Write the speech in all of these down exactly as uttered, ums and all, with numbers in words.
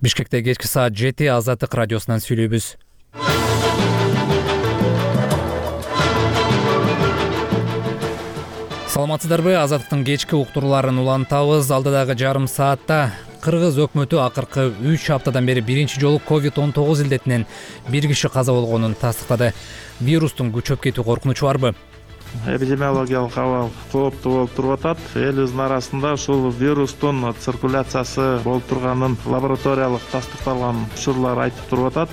Бишкекте кечки саат жети Азаттык радиосунан сүйлөйбүз. Саламатсыздарбы? Азаттыктын кечки уктурууларын улантабыз. Алдыдагы жарым саатта Кыргыз өкмөтү акыркы үч аптадан бери биринчи жолу ковид он тогуз илдетинен бир киши каза болгонун тастыктады. Вирустун күчөп кетүү коркунучу барбы? Эпидемиологиялык абал кооптуу болуп туруп атат. Элибиздин арасында ушул вирустун циркуляциясы болуп турганын лабораториялык тастыкталган учурлар айтып туруп атат.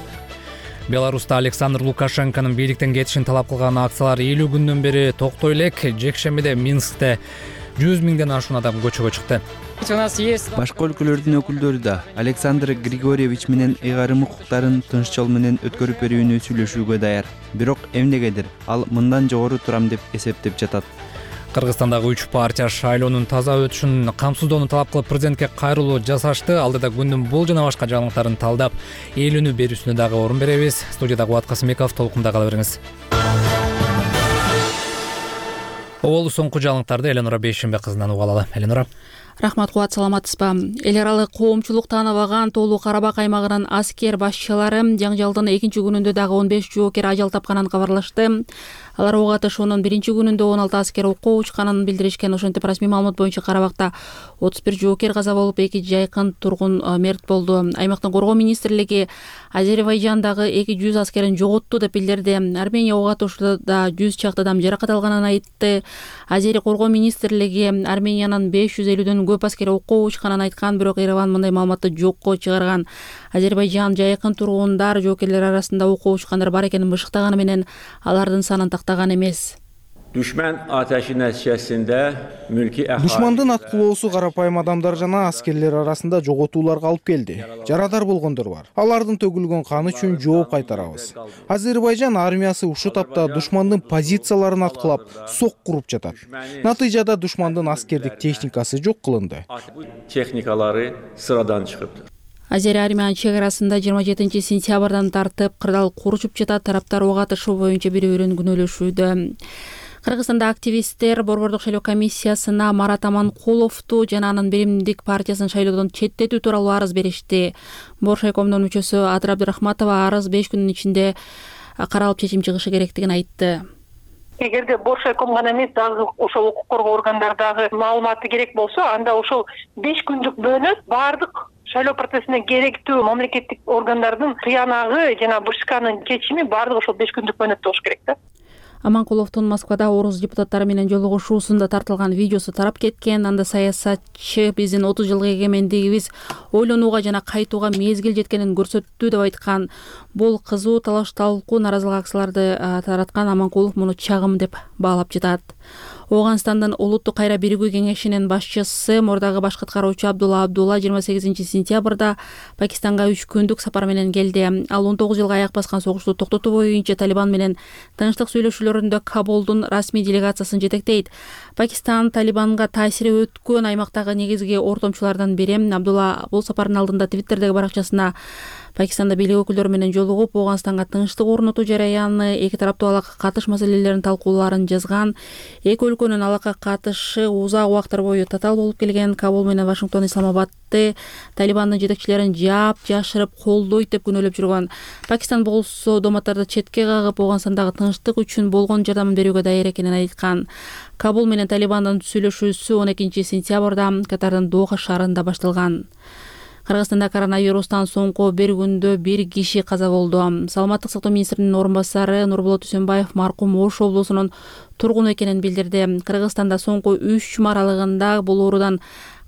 Беларуста Александр Лукашенконун бийликтен кетишин талап кылган акциялар элүү күндөн бери токтой элек. Жекшембиде Минскте жүз миңден ашуун адам көчөгө чыкты. Башка өлкөлөрдүн өкүлдөрү да Александр Григорьевич менен ыйгарым укуктарын тынч жол менен өткөрүп берүүнү сүйлөшүүгө даяр. Бирок эмнегедир ал мындан жогору турам деп эсептеп жатат. Кыргызстандагы үч партия шайлоонун таза өтүшүн камсыздоону талап кылып президентке кайрылуу жасашты. Алдыда күндүн бул жана башка жаңылыктарын талдап, элүүнү берүүсүнө дагы орун беребиз. Студияда Кубат Касымбеков, толкунда кала бериңиз. Оболу соңку жаңылыктарды Эленора Бейшембек кызынан угалалы. Эленора. Рахмат, Кубат, саламатсызбы? Эл аралык коомчулук тааныбаган Тоолуу Карабак аймагынын аскер башчылары жаңжалдын экинчи күнүндө дагы он беш жоокер ажал тапканын кабарлашты. Алар ок атышуунун биринчи күнүндө он алты аскер окко учканын билдиришкен. Ошентип расмий маалымат боюнча Карабакта отуз бир жоокер каза болуп, эки жайкын тургун мерт болду. Аймактын коргоо министрлиги Азербайжандагы эки жүз аскерин жоготту деп билдирди. Армения ок атышууда жүз чакты адам жаракат алганын айтты. Азери коргоо министрлиги Армениянын беш жүз элүүдөн көп аскери окко учканын айткан, бирок Ереван мындай маалыматты жокко чыгарган. Азербайжан жайкын тургундар жоокерлер арасында окко учкандар бар экенин бышыктаганы менен алардын санын тактаган эмес. Düşman ateşi nəticəsində mülki əhali Душмандын аткылоосу карапайым адамдар жана аскерлер арасында жоготууларга алып келди. Жарадар болгондор бар. Алардын төгүлгөн каны үчүн жооп кайтарабыз. Азербайжан армиясы ушул тапта душмандын позицияларын аткылап, сок куруп жатат. Натыйжада душмандын аскердик техникасы жок кылынды. Техникалары sıradan чыгыптыр. Азери армиянын чек арасында жыйырма жетинчи сентябрдан тартып кырдаал курушуп жатат. Тараптар ок атышуу боюнча бири-бирин күнөөлөшүүдө. Кыргызстанда активисттер Борбордук шайлоо комиссиясына Марат Аманкуловду жана анын Биримдик партиясын шайлоодон четтетүү тууралуу арыз беришти. Боршайкомдун мүчөсү Адыр Абдырахматова арыз беш күндүн ичинде каралып чечим чыгышы керектигин айтты. Эгерде Боршайком гана эмес, дагы ошол укук коргоо органдардагы маалыматы керек болсо, анда ошол беш күндүк бөлөт баардык шайлоо процессине керектүү мамлекеттик органдардын тыянагы жана БШКнын чечими баардыгы ошол беш күндүк бөлөт болуш керек да. Аманкуловдун Москвада орус депутаттары менен жолугушуусунда тартылган видеосу тарап кеткен. Анда саясатчы биздин отуз жылкы эгемендигибиз ойлонууга жана кайтууга мезгил жеткенин көрсөттү деп айткан. Бул кызуу талаш талкуу наразылык акцияларды тараткан. Аманкулов муну чагым деп баалап жатат. Ооганстандын улуттук кайра биригүү кеңешинин башчысы мурдагы баш каткаруучу Абдулла Абдулла жыйырма сегизинчи сентябрда Пакистанга үч күндүк сапар менен келди. Ал он тогуз жылга аяк баскан согушту токтотуу боюнча Талибан менен тынчтык сүйлөшүүлөрүндө Кабулдун расмий делегациясын жетектейт. Пакистан Талибанга таасири өткөн аймактагы негизги ортомчулардан бири. Абдулла бул сапардын алдында Твиттердеги баракчасына Пакистанда бийлик өкүлдөрү менен жолугуп, Ооганстанга тынчтык орнотуу жараяны, эки тараптуу алакка катыш маселелерин талкуулаарын жазган. Эки өлкөнүн алакка катышы узак убакыттар бою татаал болуп келген. Кабул менен Вашингтон Исламабадты Талибандын жетекчилерин жаап, жашырып, колдойт деп күнөөлөп жүргөн. Пакистан болсо дооматтарды четке кагып, Ооганстандагы тынчтык үчүн болгон жардамын берүүгө даяр экенин айткан. Кабул менен Талибандын сүйлөшүүсү он экинчи сентябрда Катардын Доха шаарында башталган. Кыргызстанда коронавирустан соңку бир күндө бир киши каза болду. Саламаттык сактоо министринин орун басары Нурболот Үсөнбаев маркум Ош облусунун тургуну экенин билдирди. Кыргызстанда соңку үч жума аралыгында бул оорудан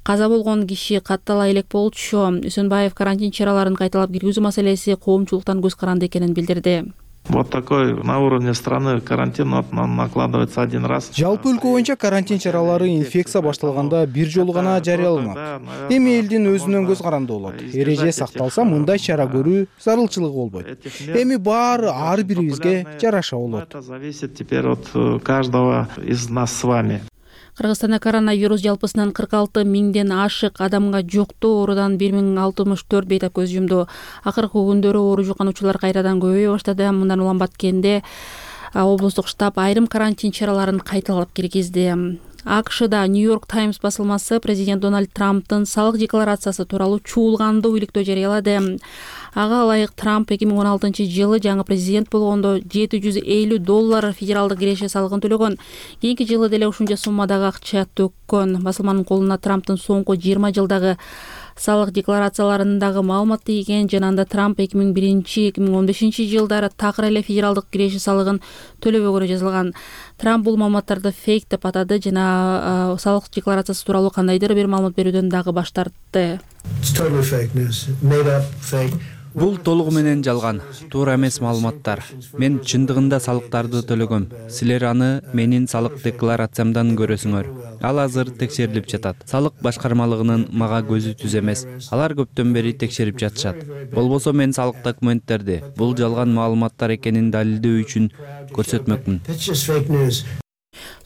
каза болгон киши каттала элек болчу. Үсөнбаев карантин чараларын кайталап киргизүү маселеси коомчулуктан көз каранды экенин билдирди. Вот такой на уровне страны карантин накладывается один раз. Жалпы өлкө боюнча карантин чаралары инфекция башталганда бир жолу гана жарыяланат. Эми элдин өзүнөн көз каранды болот. Эреже сакталса, мындай чара көрүү зарылчылыгы болбойт. Эми баары ар бирибизге жараша болот. Это зависит теперь от каждого из нас с вами. Кыргызстанда коронавирус жалпысынан кырк алты миңден ашык адамга жуктуу, оорудан бир миң алтымыш төрт бейтап көз жумду. Акыркы күндөрү оору жуккануучулар кайрадан көбөйө баштады. Мындан улам Баткенде облустук штаб айрым карантин чараларын кайталап киргизди. акшда Нью-Йорк Таймс басылмасы президент Дональд Трамптын салык декларациясы тууралуу чуулгандуу иликтөө жарыялады. Ага ылайык Трамп эки миң он алтынчы жылы жаңы президент болгондо жети жүз элүү доллар федералдык киреше салыгын төлөгөн. Кийинки жылы деле ушунча суммадагы акча төккөн. Басылманын колуна Трамптын соңку жыйырма жылдагы салык декларацияларындагы маалымат тийген жана анда Трамп эки миң биринчи эки миң он бешинчи жылдары такыр эле федералдык киреше салыгын төлөбөгөнү жазылган. Трамп бул маалыматтарды фейк деп атады жана салык декларациясы тууралуу кандайдыр бир маалымат берүүдөн дагы баш тартты. Бул толугу менен жалган, туура эмес маалыматтар. Мен чындыгында салыктарды төлөгөм. Силер аны менин салык декларациямдан көрөсүңөр. Ал азыр текшерилип жатат. Салык башкармалыгынын мага көзү түз эмес. Алар көптөн бери текшерип жатышат. Болбосо мен салык документтерди бул жалган маалыматтар экенин далилдөө үчүн көрсөтмөкмүн.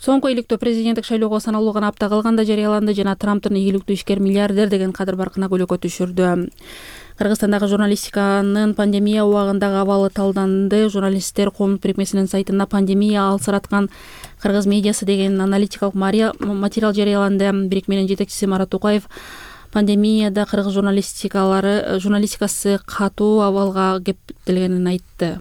Соңку иликтөө президенттик шайлоого саналуу гана апта калганда жарыяланды жана Трамптын ийгиликтүү ишкер миллиардер деген кадыр баркына көлөкө түшүрдү. Кыргызстандагы журналистиканын пандемия убагындагы абалы талданды. Журналисттер коомдук бирикмесинин сайтында пандемия алсыраткан кыргыз медиасы деген аналитикалык материал жарыяланды. Бирикменин жетекчиси Марат Тукаев пандемияда кыргыз журналистикалары журналистикасы катуу абалга кептелгенин айтты.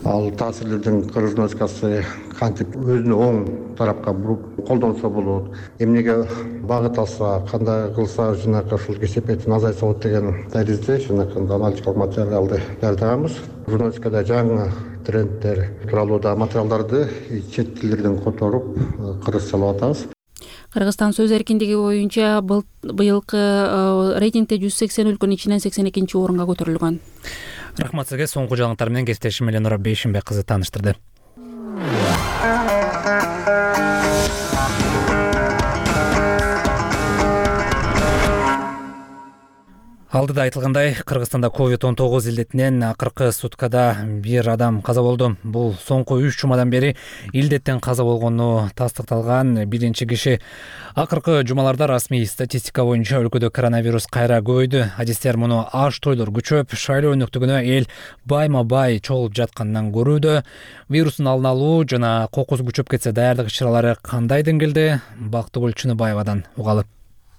Ал таасирлердин кыргыз журналистикасы кантип өзүнө оң тарапка буруп колдонсо болот, эмнеге багыт алса, кандай кылса жанакы ушул кесепетин азайтса болот деген таризде жанакы аналитикалык материалды даярдаганбыз. Журналистикада жаңы трендтер тууралуу да материалдарды чет тилдерден которуп кыргызчалап атабыз. Кыргызстан сөз эркиндиги боюнча быйылкы рейтингде жүз сексен өлкөнүн ичинен сексен экинчи орунга көтөрүлгөн. Рахмат сизге. Соңку жаңылыктар менен кесиптешим Эленора Бейшимбек кызы тааныштырды. Алдыда айтылгандай, Кыргызстанда ковид он тогуз илдетинен акыркы суткада бир адам каза болду. Бул соңку үч жумадан бери илдеттен каза болгону тастыкталган биринчи киши. Акыркы жумаларда расмий статистика боюнча өлкөдө коронавирус кайра көбөйдү. Адистер муну аш тойлор күчөп, шайлоо өнөктүгүнө эл байма-бай чогулуп жаткандан көрүүдө. Вирустун алдын алуу жана кокусу күчөп кетсе даярдык иш-чаралары кандай деңгээлде? Бактыгүл Чыныбаевадан угалы.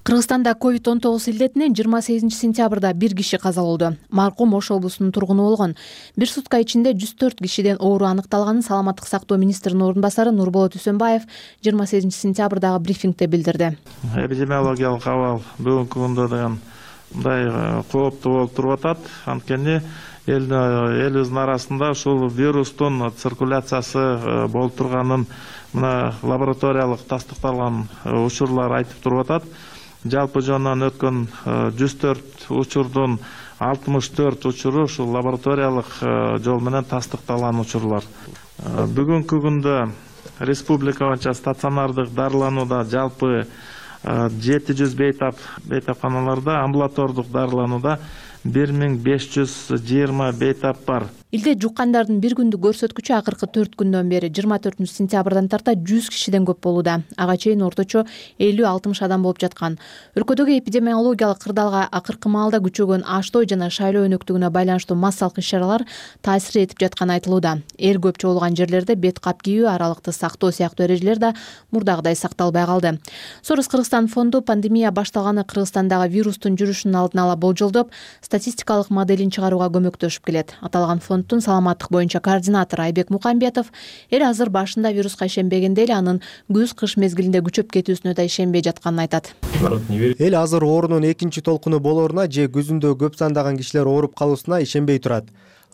Кыргызстанда ковид он тогуз илдетинен жыйырма сегизинчи сентябрда бир киши каза болду. Маркум Ош облусунун тургуну болгон. Бир сутка ичинде жүз төрт кишиден оору аныкталганын Саламаттык сактоо министринин орун басары Нурболот Үсөнбаев жыйырма сегизинчи сентябрдагы брифингде билдирди. Эпидемиологиялык абал бүгүнкү күндө деген мындай кооптуу болуп туруп атат. Анткени эл элибиздин арасында ушул вирустун циркуляциясы болуп турганын мына лабораториялык тастыкталган учурлар айтып туруп атат. Жалпы жонунан өткөн жүз төрт учурдун алтымыш төрт учуру ушул лабораториялык жол менен тастыкталган учурлар. Бүгүнкү күндө республика боюнча стационардык дарыланууда жалпы жети жүз бейтап бейтапканаларда, амбулатордук дарыланууда бир миң беш жүз жыйырма бейтап бар. Илдет жуккандардын бир күндүк көрсөткүчү акыркы төрт күндөн бери жыйырма төртүнчү сентябрдан тарта жүз кишиден көп болууда. Ага чейин орточо элүү алтымыш адам болуп жаткан. Өлкөдөгү эпидемиологиялык кырдаалга акыркы маалда күчөгөн аштой жана шайлоо өнөктүгүнө байланыштуу массалык иш-чаралар таасир этип жатканы айтылууда. Эл көп чогулган жерлерде бет кап кийүү, аралыкты сактоо сыяктуу эрежелер да мурдагыдай сакталбай калды. Сорос Кыргызстан фонду пандемия башталганы Кыргызстандагы вирустун жүрүшүнүн алдын ала болжолдоп, статистикалык моделин чыгарууга көмөктөшүп келет. Аталган фонддун саламаттык боюнча координатору Айбек Мукамбетов эл азыр башында вируска ишенбегенде эле анын күз-кыш мезгилинде күчөп кетүүсүнө да ишенбей жатканын айтат. Эл азыр оорунун экинчи толкуну болоруна же күзүндө көп сандаган кишилер ооруп калуусуна ишенбей турат.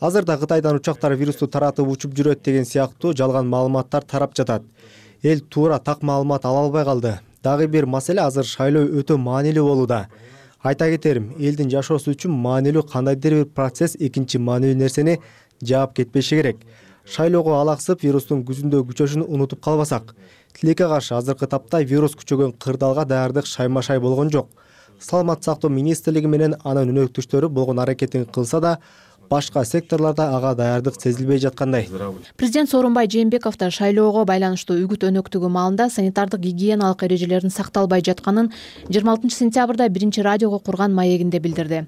Азырда Кытайдан учактар вирусту таратып учуп жүрөт деген сыяктуу жалган маалыматтар тарап жатат. Эл туура так маалымат ала албай калды. Дагы бир маселе азыр шайлоо өтө маанилүү болууда. Айта кетерим, элдин жашоосу үчүн маанилүү кандайдыр бир процесс экинчи маанилүү нерсени жаап кетпеши керек. Шайлоого алаксып вирустун күзүндө күчөшүн унутуп калбасак. Тилекке каршы азыркы тапта вирус күчөгөн кырдаалга даярдык шайма-шай болгон жок. Саламаттык сактоо министрлиги менен анын өнөктүштөрү болгон аракетин кылса да, башка секторлордо ага даярдык сезилбей жаткандай. Президент Сооронбай Жээнбеков да шайлоого байланыштуу үгүт өнөктүгү маалында санитардык гигиеналык эрежелердин сакталбай жатканын жыйырма алтынчы сентябрда биринчи радиого курган маегинде билдирди.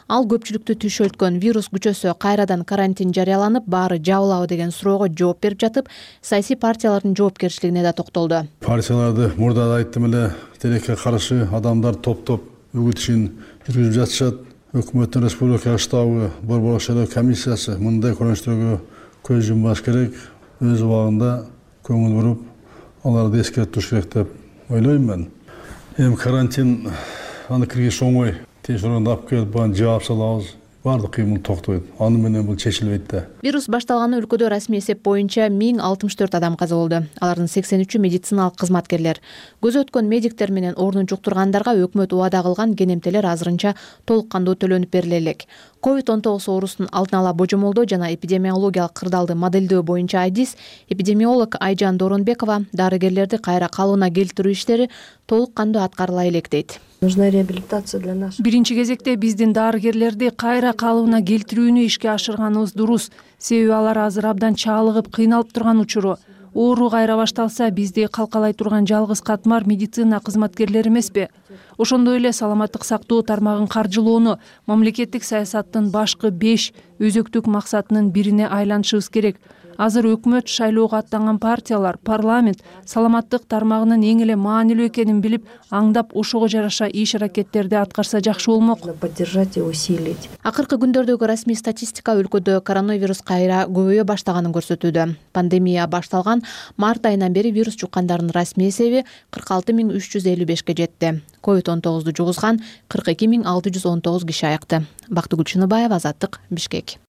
Ал көпчүлүктү түшөлткөн вирус күчөсө кайрадан карантин жарыяланып, баары жабылабы деген суроого жооп берип жатып, саясий партиялардын жоопкерчилигине да токтолду. Партияларды мурда да айттым эле, тилекке каршы адамдар топтоп үгүт ишин жүргүзүп жатышат. Өкмөттүн республика штабы, борбор шайлоо комиссиясы мындай көрүнүштөргө көз жумбаш керек, өз убагында көңүл буруп, аларды эскертип туруш керек деп ойлойм мен. Эми карантин аны киргизиш оңой. Тез арада алып келип баарын жаап салабыз. Бардык кыймыл токтойт. Аны менен бул чечилбейт да. Вирус башталганы өлкөдө расмий эсеп боюнча миң алтымыш төрт адам каза болду. Алардын сексен үчү медициналык кызматкерлер. Көзү өткөн медиктер менен орнун жуктургандарга өкмөт убада кылган кенемтелер азырынча толук кандуу төлөнүп бериле элек. ковид он тогуз оорусун алдын ала божомолдоо жана эпидемиологиялык кырдаалды модельдөө боюнча айдис эпидемиолог Айжан Доронбекова дарыгерлерди кайра калыбына келтирүү иштери толук кандуу аткарыла элек дейт. Нужна реабилитация для нас. Биринчи кезекте биздин дарыгерлерди кайра калыбына келтирүүнү ишке ашырганыбыз дурус. Себеби алар азыр абдан чалыгып, кыйналып турган учуру. Оору кайра башталса, бизди калкалай турган жалгыз катмар медицина кызматкерлери эмеспи? Ошондой эле саламаттык сактоо тармагын каржылоону мамлекеттик саясаттын башкы беш өзөктүк максатынын бирине айланышыбыз керек. Азыр өкмөт, шайлоого аттанган партиялар, парламент саламаттык тармагынын эң эле маанилүү экенин билип, аңдап ошого жараша иш аракеттерди аткарса жакшы болмок. Поддержать и усилить. Акыркы күндөрдөгү расмий статистика өлкөдө коронавирус кайра көбөйө баштаганын көрсөтүүдө. Пандемия башталган март айынан бери вирус жуккандардын расмий эсеби кырк алты миң үч жүз элүү бешке жетти. ковид он тогузду жугузган кырк эки миң алты жүз он тогуз киши аякты. Бактыгүл Чыныбаева, Азаттык, Бишкек.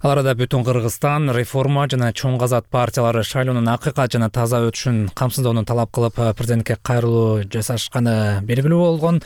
Ал арада бүтүн Кыргызстан реформа жана чоң казат партиялары шайлоонун акыйкат жана таза өтүшүн камсыздоону талап кылып президентке кайрылуу жасашканы белгилүү болгон.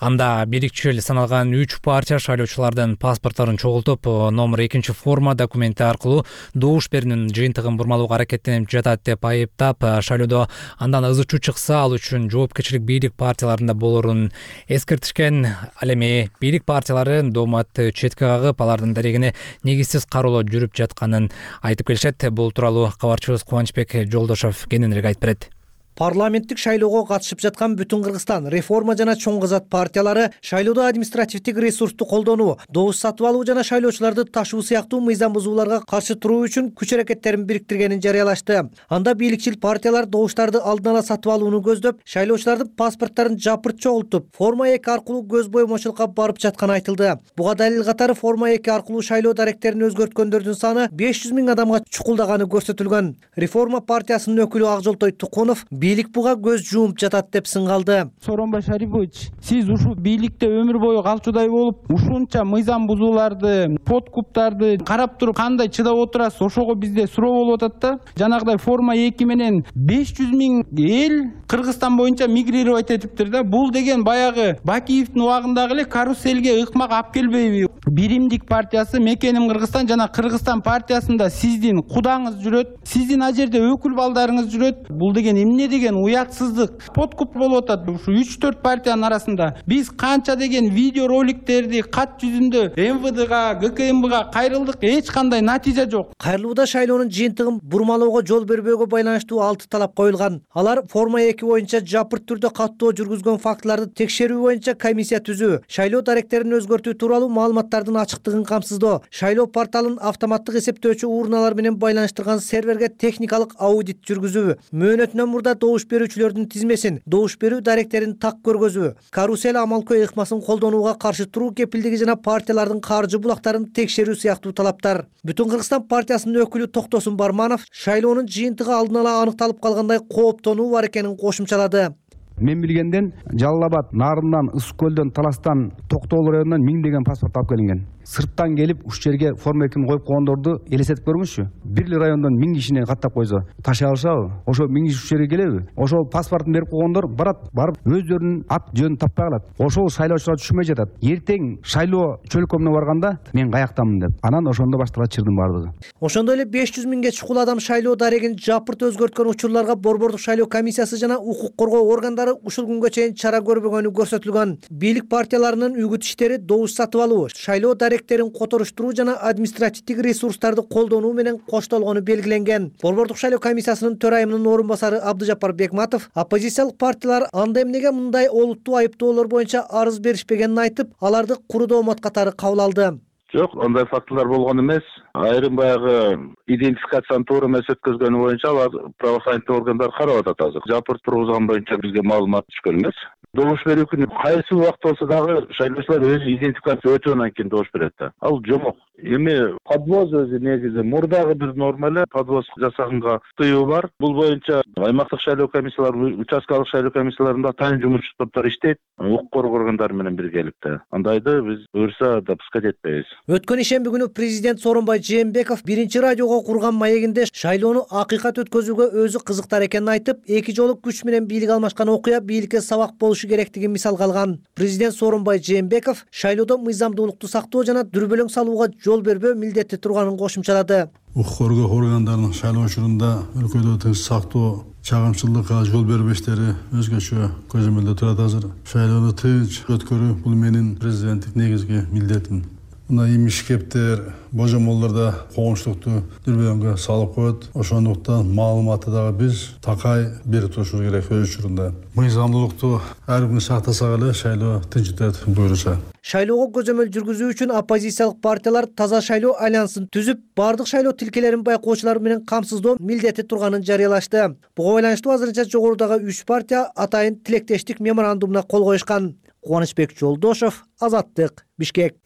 Анда бирикчил саналган үч партия шайлоочулардын паспортторун чогултуп, номер экинчи форма документи аркылуу добуш берүүнүн жыйынтыгын бурмалоого аракеттенип жатат деп айыптап, шайлоодо андан ыз учуу чыкса, ал үчүн жоопкерчилик бийлик партияларында болорун эскертишкен. Ал эми бийлик партиялары дооматты четке кагып, алардын дарегине негизсиз кароолоо жүрүп жатканын айтып келишет. Бул тууралуу кабарчыбыз Кубанычбек Жолдошов кененирээк айтып берет. Парламенттик шайлоого катышып жаткан бүтүн Кыргызстан реформа жана чоң казат партиялары шайлоодо административдик ресурсту колдонуу, добуш сатып алуу жана шайлоочуларды ташуу сыяктуу мыйзам бузууларга каршы туруу үчүн күч аракеттерин бириктиргенин жарыялашты. Анда бийликчил партиялар добуштарды алдын ала сатып алууну көздөп, шайлоочулардын паспортторун жапырт чогултуп, форма эки аркылуу көз боймочулукка барып жатканы айтылды. Буга далил катары форма эки аркылуу шайлоо даректерин өзгөрткөндөрдүн саны беш жүз миң адамга чукулдаганы көрсөтүлгөн. Реформа партиясынын өкүлү Акжолтой Тукунов бийлик буга көз жумуп жатат деп сынгалды. Сооронбай Шарипович, сиз ушул бийликте өмүр бою калчудай болуп, ушунча мыйзам бузууларды, подкуптарды карап туруп кандай чыдап отурасыз? Ошого бизде суроо болуп атат да. Жанагыдай форма эки менен беш жүз миң эл Кыргызстан боюнча мигрировать этиптир да. Бул деген баягы Бакиевдин убагындагы эле каруселге ыкмак алып келбейби? Биримдик партиясы Мекеним Кыргызстан жана Кыргызстан партиясында сиздин кудаңыз жүрөт, сиздин ал жерде өкүл балдарыңыз жүрөт. Бул деген эмне деген уятсыздык, подкуп болуп атат. Ушу үч төрт партиянын арасында биз канча деген видео роликтерди кат жүзүндө эм вэ дга, гэ ка эм бга кайрылдык, эч кандай натыйжа жок. Кайрылууда шайлоонун жыйынтыгын бурмалоого жол бербөөгө байланыштуу алты талап коюлган. Алар форма эки боюнча жапырт түрдө каттоо жүргүзгөн фактыларды текшерүү боюнча комиссия түзүү, шайлоо даректерин өзгөртүү тууралуу маалыматтардын ачыктыгын камсыздоо, шайлоо порталын автоматтык эсептөөчү урналар менен байланыштырган серверге техникалык аудит жүргүзүү, мөөнөтүнөн мурда добуш берүүчүлөрдүн тизмесин, добуш берүү даректерин так көргөзүү, карусел амалкөй ыкмасын колдонууга каршы туруу кепилдиги жана партиялардын каржы булактарын текшерүү сыяктуу талаптар. Бүтүн Кыргызстан партиясынын өкүлү Токтосун Барманов шайлоонун жыйынтыгы алдын ала аныкталып калгандай кооптонуу бар экенин кошумчалады. Мен билгенден Жалал Абад, Нарындан, Ысык көлдөн, Таластан, Токтогул районунан миңдеген паспорт алып келинген. сырттан келип ушул жерге форма экини коюп койгондорду элестетип көрүңүзчү. Бир эле райондон миң кишини каттап койсо ташый алышабы? Ошо миң киши ушул жерге келеби? Ошол паспортун берип койгондор барат, барып өздөрүнүн ат жөнүн таппай калат. Ошол шайлоочулар түшүнбөй жатат. Эртең шайлоо чөлкөмүнө барганда мен каяктамын деп. Анан ошондо башталат чырдын баардыгы. Ошондой эле беш жүз миңге чукул адам шайлоо дарегин жапырт өзгөрткөн учурларга борбордук шайлоо комиссиясы жана укук коргоо органдары ушул күнгө чейин чара көрбөгөнү көрсөтүлгөн. Бийлик партияларынын үгүт иштери добуш сатып алуу, шайлоо даректерин которуштуруу жана административдик ресурстарды колдонуу менен коштолгону белгиленген. Борбордук шайлоо комиссиясынын төрайымынын орун басары Абдыжапар Бекматов оппозициялык партиялар анда эмнеге мындай олуттуу айыптоолор боюнча арыз беришпегенин айтып, аларды куру доомат катары кабыл алды. Жок, андай фактылар болгон эмес. Айрым баягы идентификацияны туура эмес өткөзгөнү боюнча алар правоохранительдик органдар карап атат азыр. Жапырт тургузган боюнча бизге маалымат түшкөн эмес. Добуш берүү күнү кайсы убакыт болсо дагы шайлоочулар өзү идентификация өтөөнөн кийин добуш берет да. Ал жомок. Эми подвоз өзү негизи мурдагы бир норма эле подвоз жасаганга тыюу бар. Бул боюнча аймактык шайлоо комиссиялары, участкалык шайлоо комиссияларында тайын жумушчу топтор иштейт, укук коргоо органдары менен биргеликте. Андайды биз буюрса допускать этпейбиз. Өткөн ишемби күнү президент Сооронбай Жээнбеков биринчи радиого курган маегинде шайлоону акыйкат өткөзүүгө өзү кызыктар экенин айтып, эки жолу күч менен бийлик алмашкан окуя бийликке сабак болушу керектигин мисалга алган. Президент Сооронбай Жээнбеков шайлоодо мыйзамдуулукту сактоо жана дүрбөлөң салууга жол бербөө милдети турганын кошумчалады. Укук коргоо органдарынын шайлоо учурунда өлкөдө тынч сактоо, чагымчылыкка жол бербөө иштери өзгөчө көзөмөлдө турат азыр. Шайлоону тынч өткөрүү бул менин президенттик негизги милдетим. Мына имиш кептер, божомолдордо коомчулукту дүрбөлөңгө салып коет. Ошондуктан маалыматты дагы биз такай берип турушубуз керек өз учурунда. Мыйзамдуулукту ар күнү сактасак эле шайлоо тынч өтөт буюрса. Шайлоого көзөмөл жүргүзүү үчүн оппозициялык партиялар Таза шайлоо альянсын түзүп, бардык шайлоо тилкелерин байкоочулар менен камсыздоо милдети турганын жарыялашты. Буга байланыштуу азырынча жогорудагы үч партия атайын тилектештик меморандумуна кол коюшкан. Кубанычбек Жолдошов, Азаттык, Бишкек.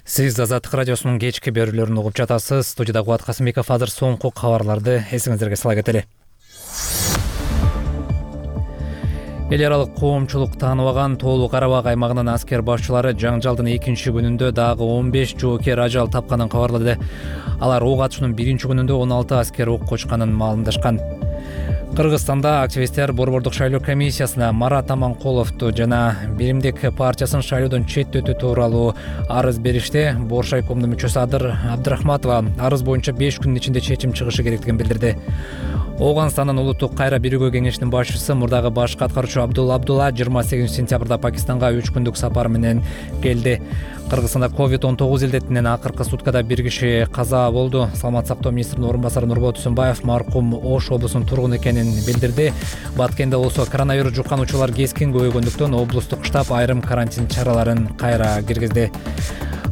Сиз Азаттык радиосунун кечки берүүлөрүн угуп жатасыз. Студияда Кубат Касымбеков. Азыр соңку кабарларды эсиңиздерге сала кетели. Эл аралык коомчулук тааныбаган Тоолуу Карабак аймагынын аскер башчылары жаңжалдын экинчи күнүндө дагы он беш жоокер ажал тапканын кабарлады. Алар ок атышуунун биринчи күнүндө он алты аскер ок кочканын маалымдашкан. Кыргызстанда активисттер борбордук шайлоо комиссиясына Марат Аманкуловду жана Биримдик партиясын шайлоодон четтетүү тууралуу арыз беришти. Боршайкомдун мүчөсү Адыр Абдрахматова арыз боюнча беш күнүн ичинде чечим чыгышы керектигин билдирди. Ооганстандын улуттук кайра биригүү кеңешинин башчысы мурдагы башкы аткаруучу Абдулла Абдулла жыйырма сегизинчи сентябрда Пакистанга үч күндүк сапар менен келди. Кыргызстанда ковид он тогуз илдетинен акыркы суткада бир киши каза болду. Саламаттык сактоо министринин орун басары Нурбол Түсүнбаев маркум Ош облусунун тургуну экенин билдирди. Баткенде болсо коронавирус жуккан учурлар кескин көбөйгөндүктөн облустук штаб айрым карантин чараларын кайра киргизди.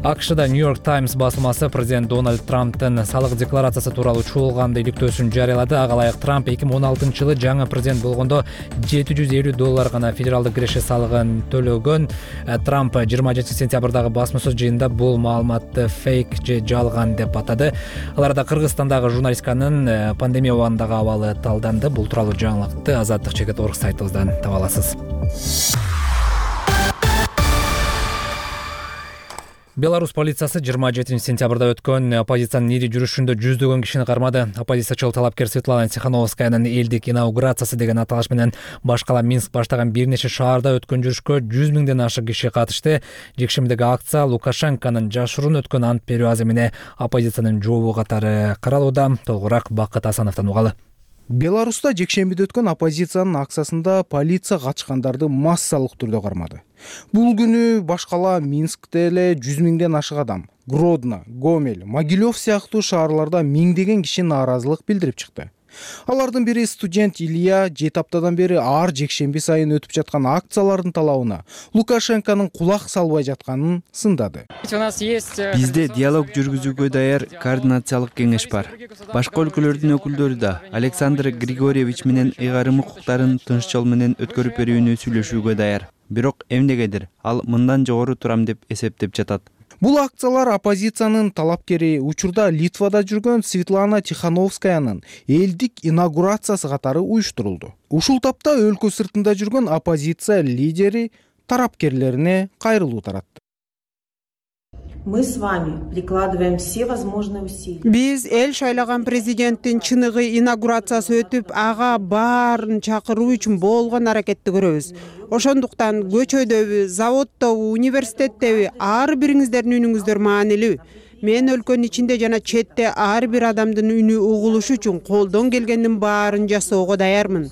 АКШда Нью-Йорк Таймс басылмасы президент Дональд Трамптын салык декларациясы тууралуу чуулганды иликтөөсүн жарыялады. Ага ылайык Трамп эки миң он алтынчы жылы жаңы президент болгондо жети жүз элүү доллар гана федералдык киреше салыгын төлөгөн. Трамп жыйырма жетинчи сентябрдагы басма сөз жыйынында бул маалыматты фейк же жалган деп атады. Аларда Кыргызстандагы журналистиканын пандемия убагындагы абалы талданды. Бул тууралуу жаңылыкты Азаттык чекит орг сайтыбыздан таба аласыз. Беларусь полициясы жыйырма жетинчи сентябрда өткөн оппозициянын ири жүрүшүндө жүздөгөн кишини кармады. Оппозициячыл талапкер Светлана Тихановскаянын элдик инаугурациясы деген аталыш менен башкала Минск баштаган бир нече шаарда өткөн жүрүшкө жүз миңден ашык киши катышты. Жекшембидеги акция Лукашенконун жашыруун өткөн ант берүү аземине оппозициянын жообу катары каралууда. Толугураак Бакыт Асановдон угалы. Беларуста жекшембиде өткөн оппозициянын акциясында полиция качкандарды массалык түрдө кармады. Бул күнү башкала Минскте эле жүз миңден ашык адам, Гродно, Гомель, Могилев сыяктуу шаарларда миңдеген киши нааразылык билдирип чыкты. Алардын бири студент Илья жети аптадан бери ар жекшемби сайын өтүп жаткан акциялардын талабына Лукашенконун кулак салбай жатканын сындады. Бизде диалог жүргүзүүгө даяр координациялык кеңеш бар. Башка өлкөлөрдүн өкүлдөрү да Александр Григорьевич менен ыйгарым укуктарын тынч жол менен өткөрүп берүүнү сүйлөшүүгө даяр. Бирок эмнегедир ал мындан жогору турам деп эсептеп жатат. Бул акциялар оппозициянын талапкери учурда Литвада жүргөн Светлана Тихановскаянын элдик инаугурациясы катары уюштурулду. Ушул тапта өлкө сыртында жүргөн оппозиция лидери тарапкерлерине кайрылуу таратты. Мы с вами прикладываем все возможные усилия. Биз эл шайлаган президенттин чыныгы инаугурациясы өтүп, ага баарын чакыруу үчүн болгон аракетти көрөбүз. Ошондуктан көчөдөбү, заводдобу, университеттеби ар бириңиздердин үнүңүздөр маанилүү. Мен өлкөнүн ичинде жана четте ар бир адамдын үнү угулушу үчүн колдон келгендин баарын жасоого даярмын.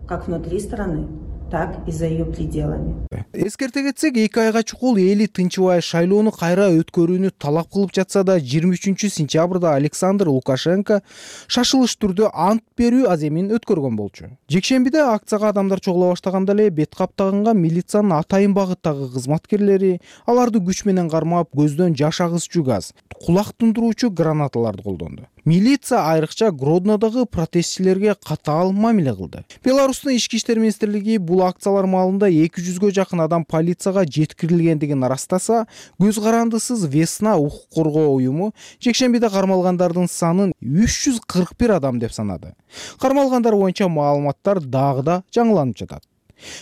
Как внутри страны, так и за ее пределами. Эскерте кетсек, эки айга чукул эли тынчыбай шайлоону кайра өткөрүүнү талап кылып жатса да, жыйырма үчүнчү сентябрда Александр Лукашенко шашылыш түрдө ант берүү аземин өткөргөн болчу. Жекшембиде акцияга адамдар чогула баштаганда эле бет каптагынга милициянын атайын багыттагы кызматкерлери аларды күч менен кармап, көздөн жаш агызчу газ, кулак тундуруучу гранаталарды колдонду. Милиция айрыкча Гроднодогу протестчилерге катаал мамиле кылды. Беларустун ички иштер министрлиги бул акциялар маалында эки жүзгө жакын адам полицияга жеткирилгендигин ырастаса, көз карандысыз Весна укук коргоо уюму жекшембиде кармалгандардын санын үч жүз кырк бир адам деп санады. Кармалгандар боюнча маалыматтар дагы да жаңыланып жатат.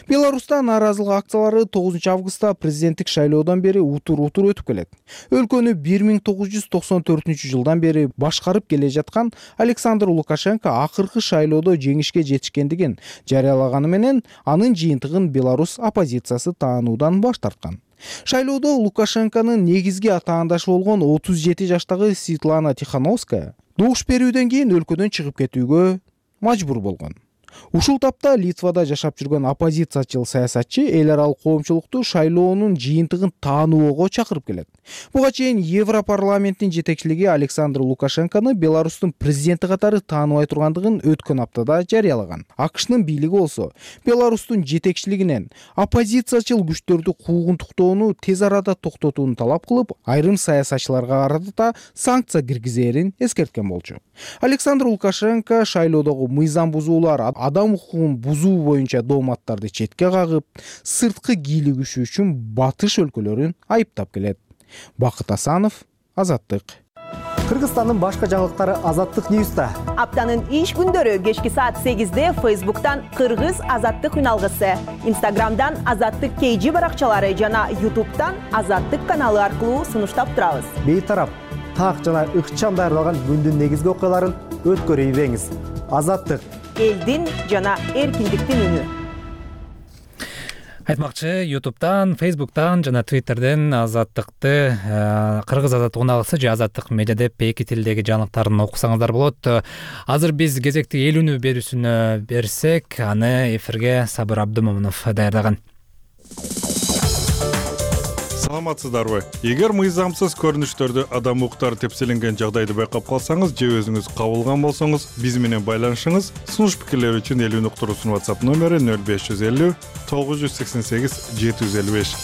Беларуста нааразылык акциялары тогузунчу августта президенттик шайлоодон бери утур-утур өтүп келет. Өлкөнү бир миң тогуз жүз токсон төртүнчү жылдан бери башкарып келе жаткан Александр Лукашенко акыркы шайлоодо жеңишке жетишкендигин жарыялаганы менен анын жыйынтыгын Беларусь оппозициясы таануудан баш тарткан. Шайлоодо Лукашенконун негизги атаандашы болгон отуз жети жаштагы Светлана Тихановская добуш берүүдөн кийин өлкөдөн чыгып кетүүгө мажбур болгон. Ушул тапта Литвада жашап жүргөн оппозициячыл саясатчы эл аралык коомчулукту шайлоонун жыйынтыгын таануого чакырып келет. Буга чейин Европарламенттин жетекчилиги Александр Лукашенкону Беларустун президенти катары тааныбай тургандыгын өткөн аптада жарыялаган. АКШнын бийлиги болсо Беларустун жетекчилигинен оппозициячыл күчтөрдү куугунтуктоону тез арада токтотууну талап кылып, айрым саясатчыларга карата санкция киргизээрин эскерткен болчу. Александр Лукашенко шайлоодогу мыйзам бузуулар, адам укугун бузуу боюнча дооматтарды четке кагып, сырткы кийлигишүү үчүн батыш өлкөлөрүн айыптап келет. Бакыт Асанов, Азаттык. Кыргызстандын башка жаңылыктары Азаттык Ньюста. Аптанын иш күндөрү кечки саат сегизде Facebook'tan Кыргыз Азаттык үналгысы, Instagram'dan Азаттык кей жи баракчалары жана YouTube'дан Азаттык каналы аркылуу сунуштап турабыз. Бейтарап, так жана ыкчам даярдалган күндүн негизги окуяларын өткөрүп ийбеңиз. Азаттык. Элдин жана эркиндиктин үнү. Айтмакчы, YouTube'дан, Facebook'tan жана Twitter'ден Азаттыкты, Кыргыз Азаттык үналгысы же Азаттык медиа деп эки тилдеги жаңылыктарын окусаңыздар болот. Азыр биз кезекти эл үнү берүүсүнө берсек, аны эфирге Сабыр Абдымомунов даярдаган. Саламатсыздарбы? Эгер мыйзамсыз көрүнүштөрдү адам укуктары тепселенген жагдайды байкап калсаңыз же өзүңүз кабылган болсоңуз, биз менен байланышыңыз. Сунуш пикирлер үчүн эл үнү уктуруусунун WhatsApp номери нөл беш жүз элүү тогуз жүз сексен сегиз жети жүз элүү беш.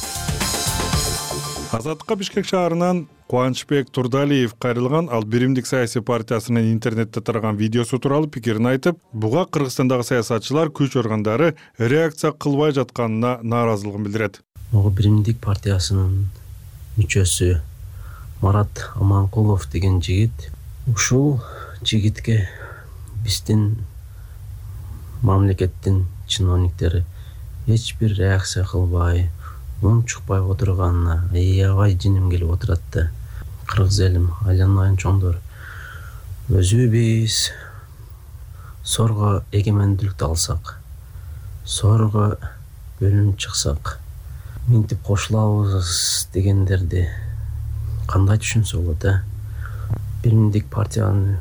Азаттыкка Бишкек шаарынан Кубанычбек Турдалиев кайрылган. Ал Биримдик саясий партиясынын интернетте тараган видеосу тууралуу пикирин айтып, буга Кыргызстандагы саясатчылар, күч органдары реакция кылбай жатканына нааразылыгын билдирет. Ого Биримдик партиясынын мүчөсү Марат Аманкулов деген жигит, ушул жигитке биздин мамлекеттин чиновниктери эч бир реакция кылбай, мун чукпай отурганына аябай жиним келип отурат да. Кыргыз элим, айланайын чоңдор, өзүбүз сорго эгемендүүлүктү алсак, сорго бөлүнүп чыксак, минтип кошулабыз дегендерди кандай түшүнсө болот, э? Биримдик партиянын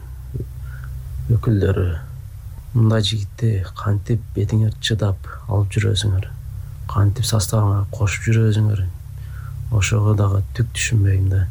өкүлдөрү мындай жигитти кантип бетиңер чыдап алып жүрөсүңөр, кантип составыңа кошуп жүрөсүңөр, ошого дагы түк түшүнбөйм да.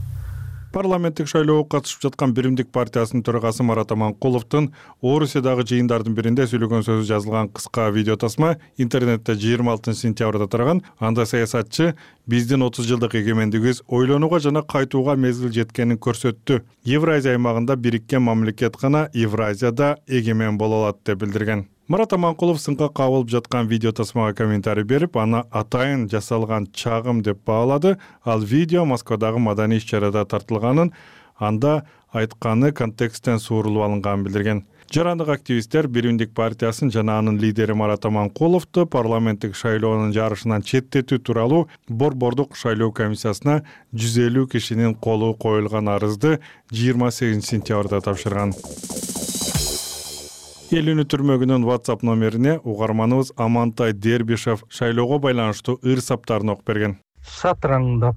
Парламенттик шайлоого катышып жаткан Биримдик партиясынын төрагасы Марат Аманкуловдун Орусиядагы жыйындардын биринде сүйлөгөн сөзү жазылган кыска видео тасма интернетте жыйырма алтынчы сентябрда тараган. Анда саясатчы биздин отуз жылдык эгемендигибиз ойлонууга жана кайтууга мезгил жеткенин көрсөттү. Евразия аймагында бириккен мамлекет гана Евразияда эгемен боло алат деп билдирген. Марат Аманкулов сынка кабылып жаткан видео тасмага комментарий берип, аны атайын жасалган чагым деп баалады. Ал видео Москвадагы маданий иш-чарада тартылганын, анда айтканы контексттен суурулуп алынганын билдирген. Жарандык активисттер Биримдик партиясын жана анын лидери Марат Аманкуловду парламенттик шайлоонун жарышынан четтетүү тууралуу Борбордук шайлоо комиссиясына жүз элүү кишинин колу коюлган арызды жыйырма сегизинчи сентябрда тапшырган. Эл үнү түрмөгүнүн WhatsApp номерине угарманыбыз Амантай Дербишев шайлоого байланыштуу ыр саптарын окуп берген. Шатраңдап,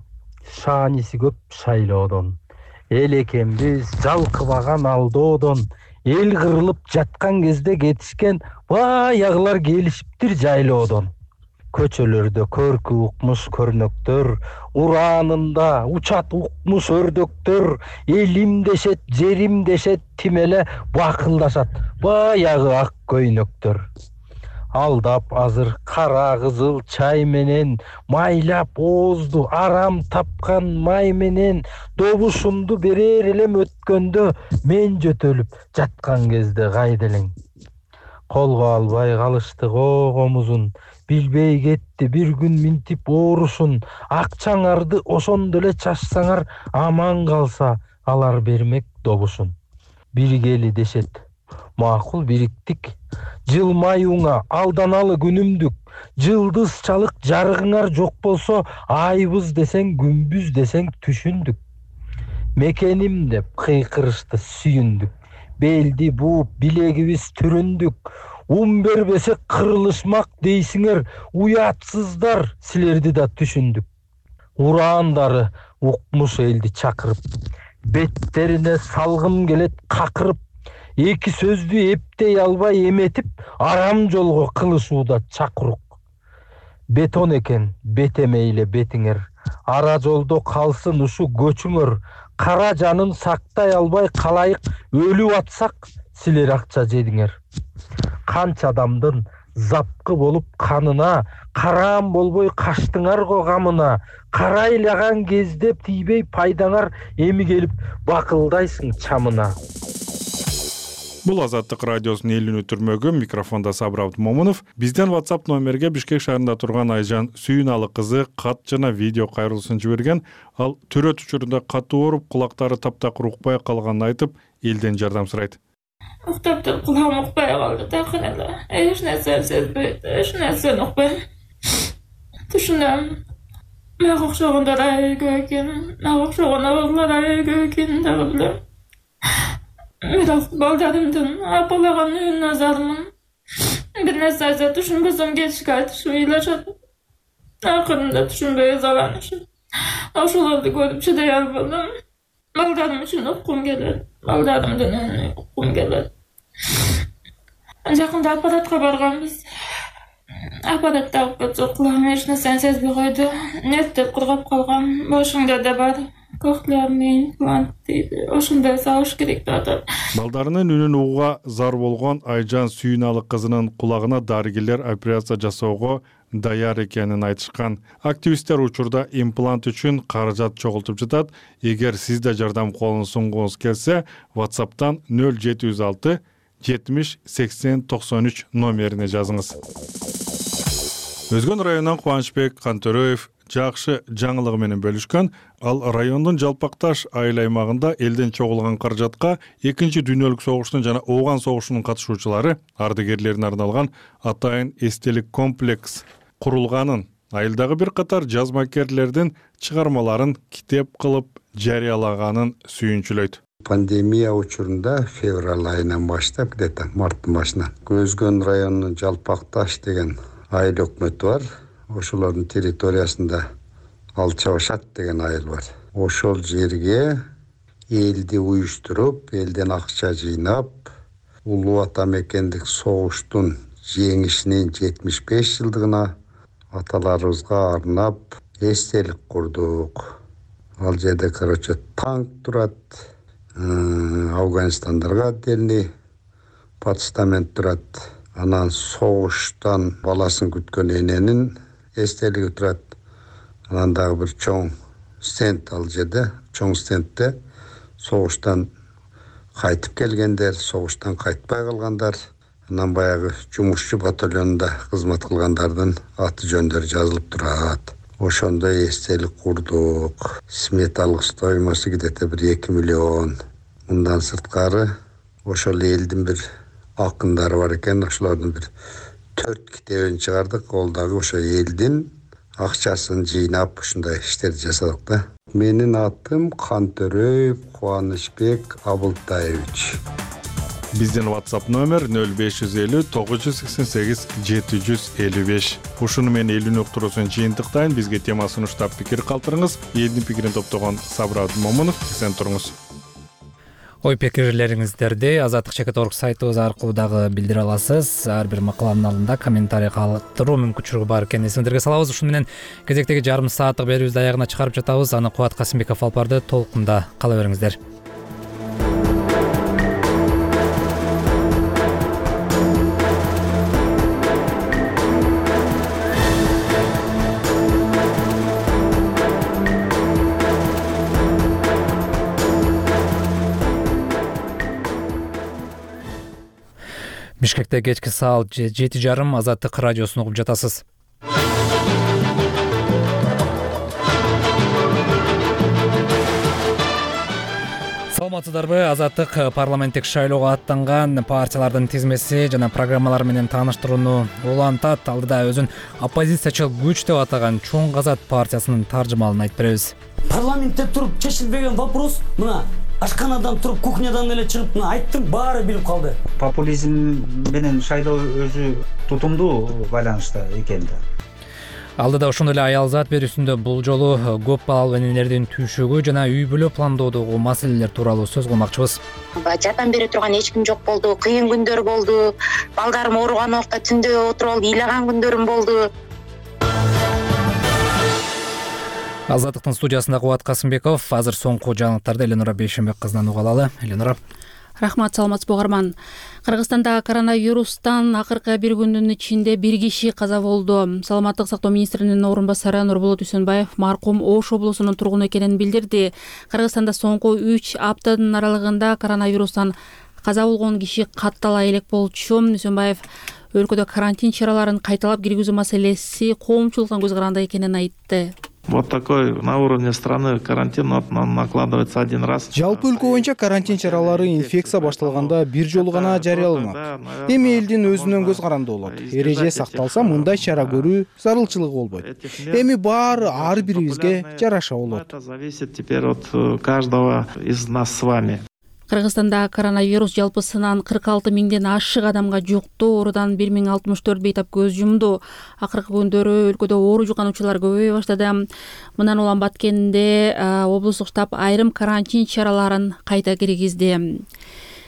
шааниси көп шайлоодон, эл экенбиз жалкыбаган алдоодон, эл кырылып жаткан кезде кетишкен баягылар келишиптир жайлоодон. Көчөлөрдө көркү укмуш көрнөктөр, ураанында учат укмуш өрдөктөр, элим дешет, жерим дешет, тимеле бакылдашат баягы ак көйнөктөр. Алдап азыр кара кызыл чай менен, майлап оозду арам тапкан май менен, добушумду берер элем өткөндө, мен жөтөлүп жаткан кезде кайда элең. Колго албай калыштык огомузун, билбей кетти бир күн минтип оорушун, акчаңарды ошондо эле чачсаңар аман калса, алар бермек добушун. Биргели дешет, макул бириктик, жылмаюңа алданалы күнүмдүк, жылдыз чалык жарыгыңар жок болсо, айбыз десең күнбүз десең түшүндүк. Мекеним деп кыйкырышты сүйүндүк, белди бууп билегибиз түрүндүк. Ун бербесе кырылышмак дейсиңер, уятсыздар, силерди да түшүндүк. Ураандары укмуш элди чакырып, беттерине салгым келет какырып, эки сөздү эптей албай эметип, арам жолго кылышууда чакырук. Бетон экен бетемейле бетиңер, ара жолдо калсын ушу көчүңөр, кара жанын сактай албай калайык өлүп атсак, силер акча жедиңер. Канча адамдын запкы болуп канына, караам болбой каштыңар го гамына, карайлаган кезде тийбей пайдаңар, эми келип бакылдайсың чамына. Бул Азаттык радиосунун эл үнү түрмөгү, микрофондо Сабыр Абдымомунов. Бизден WhatsApp номерге Бишкек шаарында турган Айжан Сүйүналы кызы кат жана видео кайрылуусун жиберген. Ал төрөт учурунда катуу ооруп, кулактары таптакыр укпай калганын айтып, элден жардам сурайт. Уктап туруп кулагым укпай калды, такыр эле. Эч нерсени сезбейт, эч нерсени укпайм. Түшүнөм. Мага окшогондор айгө экен, мага окшогон абалдар айгө экенин дагы билем. Мен балдарымдын апалаган үйүн назармын. Бир нерсе айтса түшүнбөсөм кетишке айтышып ыйлашат. Акырында түшүнбөй ызаланышып. Ошолорду көрүп чыдай албадым. Балдарым үчүн уккум келет. Балдарымдын үнүн уккум келет. Жакында аппаратка барганбыз. Аппаратта алып кетсе кулагым эч нерсени сезбей койду. Нервтеп кургап калган. Башыңда да бар. Кохлеарный имплант дейди. Ошондой салыш керек деп атат. Балдарынын үнүн угууга зар болгон Айжан Сүйүналы кызынын кулагына дарыгерлер операция жасоого даяр экенин айтышкан. Активисттер учурда имплант үчүн каражат чогултуп жатат. Эгер сиз да жардам колун сунгуңуз келсе, WhatsApp'тан нөл жети жүз алты жетимиш сексен токсон үч номерине жазыңыз. Өзгөн районунан Кубанычбек Кантөрөев жакшы жаңылыгы менен бөлүшкөн. Ал райондун Жалпакташ айыл аймагында элден чогулган каражатка экинчи дүйнөлүк согуштун жана Ооган согушунун катышуучулары ардагерлерине арналган атайын эстелик комплекс курулганын, айылдагы бир катар жазмакерлердин чыгармаларын китеп кылып жарыялаганын сүйүнчүлөйт. Пандемия учурунда февраль айынан баштап, где-то марттын башынан Өзгөн районунун Жалпакташ деген айыл өкмөтү бар. Ошолордун территориясында Алча Башат деген айыл бар. Ошол жерге элди уюштуруп, элден акча жыйнап, Улуу Ата мекендик согуштун жеңишинин жетимиш беш жылдыгына аталарыбызга арнап эстелик курдук. Ал жерде, короче, танк турат, Афганистандарга отдельный постамент турат. Анан согуштан баласын күткөн эненин эстелиги турат. Анан дагы бир чоң стенд ал жерде, чоң стендте согуштан кайтып келгендер, согуштан кайтпай калгандар, анан баягы жумушчу батальонунда кызмат кылгандардын аты жөндөрү жазылып турат. Ошондой эстелик курдук. Сметалык стоимосу где-то бир эки миллион. Мындан сырткары ошол элдин бир акындары бар экен, ошолордун бир төрт китебин чыгардык. Ол дагы ошо элдин акчасын жыйнап ушундай иштерди жасадык да. Менин атым Кантөрөев Кубанычбек Абылтаевич. Биздин WhatsApp номер нөл беш жүз элүү тогуз жүз сексен сегиз жети жүз элүү беш. Ушуну менен элүүнү уктуруусун жыйынтыктайын. Бизге тема сунуштап пикир калтырыңыз. Элдин пикирин топтогон Сабыр Абдымомунов. Эсен туруңуз. Ой пикирлериңиздерди Азаттык чекит точка орг сайтыбыз аркылуу дагы билдире аласыз. Ар бир макаламдын алдында комментарий калтыруу мүмкүнчүлүгү бар экенин эсиңиздерге салабыз. Ушуну менен кезектеги жарым сааттык берүүбүздү аягына чыгарып жатабыз. Аны Кубат Касымбеков алып барды. Толкунда кала бериңиздер. Бишкекте кечки саат жети жарым Азаттык радиосун угуп жатасыз. Саламатсыздарбы? Азаттык парламенттик шайлоого аттанган партиялардын тизмеси жана программалары менен тааныштырууну улантат. Алдыда өзүн оппозициячыл күч деп атаган Чоң Казат партиясынын таржымалын айтып беребиз. Парламентте туруп чечилбеген вопрос мына ашканадан туруп кухнядан эле чыгып мына айттым, баары билип калды. Популизм менен шайлоо өзү тутумдуу байланышта экен да. Алдыда ошондой эле аялзат берүүсүндө бул жолу көп балалуу энелердин түйшүгү жана үй бүлө пландоодогу маселелер тууралуу сөз кылмакчыбыз. Жардам бере турган эч ким жок болду, кыйын күндөр болду. Балдарым ооруган убакта түндө отуруп алып ыйлаган күндөрүм болду. Азаттыктын студиясында Кубат Касымбеков. Азыр соңку жаңылыктарды Эленора Бейшенбек кызынан уга алалы. Эленора. Рахмат, саламатсыз Бугарман. Кыргызстанда коронавирустан акыркы бир күндүн ичинде бир киши каза болду. Саламаттык сактоо министринин орун басары Нурболот Үсөнбаев маркум Ош облусунун тургуну экенин билдирди. Кыргызстанда соңку үч аптанын аралыгында коронавирустан каза болгон киши каттала элек болчу. Үсөнбаев өлкөдө карантин чараларын кайталап киргизүү маселеси коомчулукка көз каранды экенин айтты. Вот такой на уровне страны карантин накладывается один раз. Жалпы өлкө боюнча карантин чаралары инфекция башталганда бир жолу гана жарыяланат. Эми элдин өзүнөн көз каранды болот. Эреже сакталса мындай чара көрүү зарылчылыгы болбойт. Эми баары ар бирибизге жараша болот. Это зависит теперь от каждого из нас с вами. Кыргызстанда коронавирус жалпысынан кырк алты миңден ашык адамга жукту. Оорудан бир миң алтымыш төрт бейтап көз жумду. Акыркы күндөрү өлкөдө оору жуккануучулар көбөйө баштады. Мындан улам Баткенде облустук штаб айрым карантин чараларын кайта киргизди.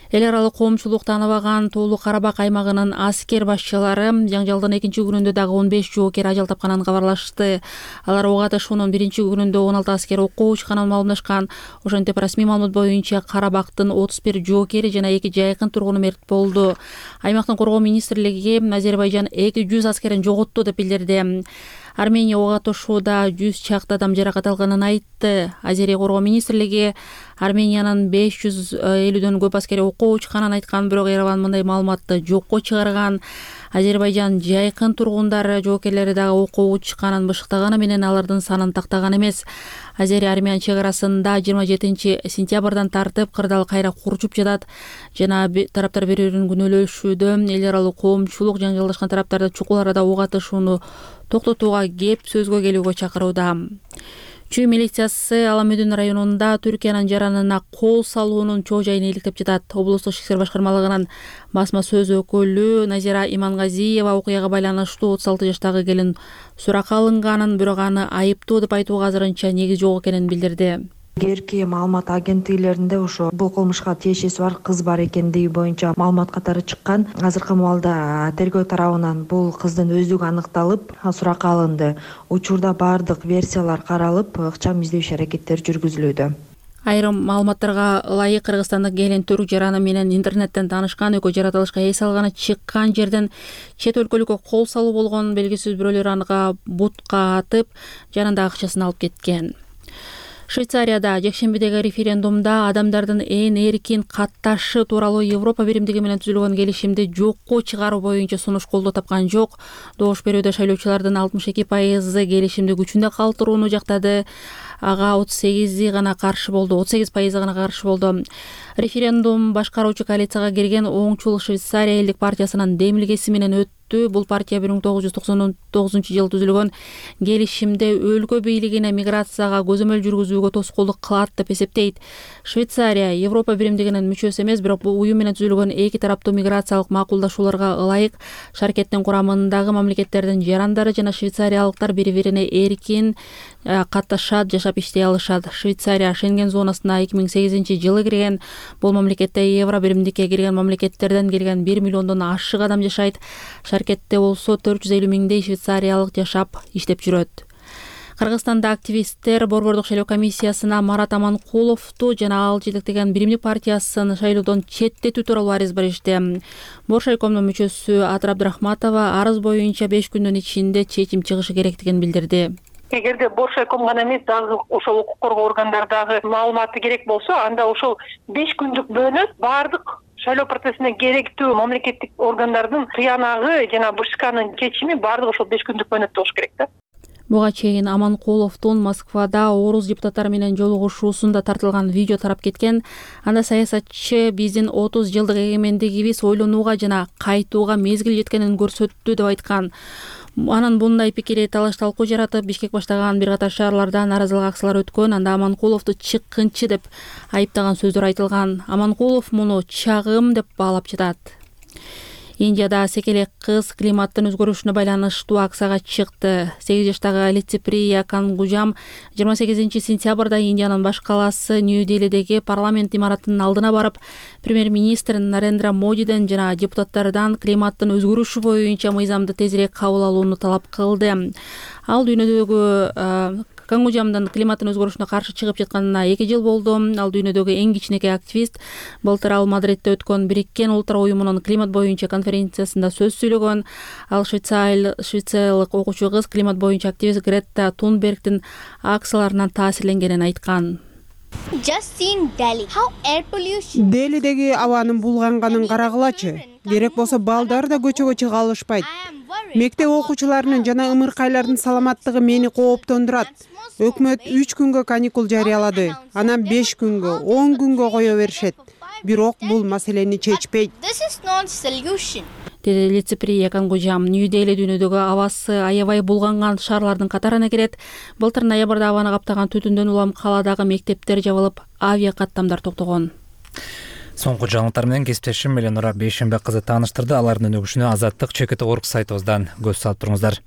Эл аралык коомчулук тааныбаган Тоолу Карабак аймагынын аскер башчылары жаңжалдын экинчи күнүндө дагы он беш жоокер ажал тапканын кабарлашты. Алар ого атышуунун биринчи күнүндө он алты аскер окко учканын маалымдашкан. Ошентип расмий маалымат боюнча Карабактын отуз бир жоокери жана эки жайкын тургуну мерт болду. Аймактын коргоо министрлиги Азербайжан эки жүз аскерин жоготту деп билдирди. Армения ого атышууда жүз чакты адам жаракат алганын айтты. Азерия коргоо министрлиги Армениянын беш жүз элүүдөн көп аскери окко учканын айткан, бирок Ереван мындай маалыматты жокко чыгарган. Азербайжан жайкын тургундары жоокерлери дагы окко учканын бышыктаганы менен алардын санын тактаган эмес. Азерия Армян чек арасында жыйырма жетинчи сентябрдан тартып кырдаал кайра курчуп жатат жана тараптар бири-бирин күнөөлөшүүдө. Эл аралык коомчулук жаңжалдашкан тараптарды чукул арада ого атышууну токтотууга кеп сөзгө келүүгө чакырууда. Чүй милициясы Аламөдүн районунда Түркиянын жаранына кол салуунун чоо жайын иликтеп жатат. Облустук ички иштер башкармалыгынын басма сөз өкүлү Назира Имангазиева окуяга байланыштуу отуз алты жаштагы келин суракка алынганын, бирок аны айыптуу деп айтууга азырынча негиз жок экенин билдирди. Кээрки маалымат агенттиклеринде ошо бул кылмышка тиешеси бар кыз бар экендиги боюнча маалымат катары чыккан. Азыркы маалда тергөө тарабынан бул кыздын өздүгү аныкталып, суракка алынды. Учурда бардык версиялар каралып, ыкчам издөөчү аракеттер жүргүзүлүүдө. Айрым маалыматтарга ылайык Кыргызстандык келин түрк жараны менен интернеттен таанышкан, экөө жаратылышка эс алганы чыккан жерден чет өлкөлүккө кол салуу болгон. Белгисиз бирөөлөр анга бутка атып, жанында акчасын алып кеткен. Швейцарияда жекшембидеги референдумда адамдардын ээн эркин катташы тууралуу Европа биримдиги менен түзүлгөн келишимди жокко чыгаруу боюнча сунуш колдоо тапкан жок. Добуш берүүдө шайлоочулардын алтымыш эки пайызы келишимди күчүндө калтырууну жактады. Ага отуз сегизи гана каршы болду, отуз сегиз пайызы гана каршы болду. Референдум башкаруучу коалицияга кирген оңчул Швейцария элдик партиясынын демилгеси менен өттү. Бул партия бир миң тогуз жүз токсон тогузунчу жылы түзүлгөн келишимде өлкө бийлигине миграцияга көзөмөл жүргүзүүгө тоскоолдук кылат деп эсептейт. Швейцария Европа биримдигинин мүчөсү эмес, бирок бул уюм менен түзүлгөн эки тараптуу миграциялык макулдашууларга ылайык. Шаркеттин курамындагы мамлекеттердин жарандары жана швейцариялыктар бири-бирине эркин катташат, жашап иштей алышат. Швейцария Шенген зонасына эки миң сегизинчи жылы кирген. Бул мамлекетте Евро биримдикке кирген мамлекеттерден келген бир миллиондон ашык адам жашайт. Шаркетте болсо төрт жүз элүү миңдей швейцариялык жашап иштеп жүрөт. Кыргызстанда активисттер Борбордук шайлоо комиссиясына Марат Аманкуловду жана ал жетектеген Биримдик партиясын шайлоодон четтетүү тууралуу арыз беришти. Боршайкомдун мүчөсү Атыр Абдрахматова арыз боюнча беш күндүн ичинде чечим чыгышы керектигин билдирди. Эгерде Боршайком гана эмес, дагы ошол укук коргоо органдарындагы маалыматы керек болсо, анда ошол беш күндүк бөлөп баардык шайлоо процессине керектүү мамлекеттик органдардын тыянагы жана БШКнын чечими баардыгы ошол беш күндүк бөлөп болуш керек да. Буга чейин Аманкуловдун Москвада орус депутаттары менен жолугушуусунда тартылган видео тарап кеткен. Анда саясатчы биздин отуз жылдык эгемендигибиз ойлонууга жана кайтууга мезгил жеткенин көрсөттү деп айткан. Анын мындай пикири талаш талкуу жаратып, Бишкек баштаган бир катар шаарларда нааразылык акциялары өткөн. Анда Аманкуловду чыккынчы деп айыптаган сөздөр айтылган. Аманкулов муну чагым деп баалап жатат. Индияда секелек кыз климаттын өзгөрүшүнө байланыштуу акцияга чыкты. сегиз жаштагы Лициприя Кангужам жыйырма сегизинчи сентябрда Индиянын баш калаасы Нью-Делидеги парламент имаратынын алдына барып, премьер-министр Нарендра Модиден жана депутаттардан климаттын өзгөрүшү боюнча мыйзамды тезирээк кабыл алууну талап кылды. Ал дүйнөдөгү Кангужамдын климаттын өзгөрүшүнө каршы чыгып жатканына эки жыл болду. Ал дүйнөдөгү эң кичинекей активист. Былтыр ал Мадридте өткөн Бириккен Улуттар уюмунун климат боюнча конференциясында сөз сүйлөгөн. Ал швейцариялык окуучу кыз климат боюнча активист Гретта Тунбергдин акцияларынан таасирленгенин айткан. Делидеги абанын булганганын карагылачы. Керек болсо балдар да көчөгө чыга алышпайт. Мектеп окуучуларынын жана ымыркайлардын саламаттыгы мени кооптондурат. Өкмөт үч күнгө каникул жарыялады. Анан беш күнгө, он күнгө кое беришет. Бирок бул маселени чечпейт. Деди Лициприя Кангужам. Нью-Дели дүйнөдөгү абасы аябай булганган шаарлардын катарына кирет. Былтыр ноябрда абаны каптаган түтүндөн улам каладагы мектептер жабылып, авиа каттамдар токтогон. Соңку жаңылыктар менен кесиптешим Эленора Бейшембек кызы тааныштырды. Алардын өнүгүшүнө Азаттык чекит орг сайтыбыздан көз салып туруңуздар.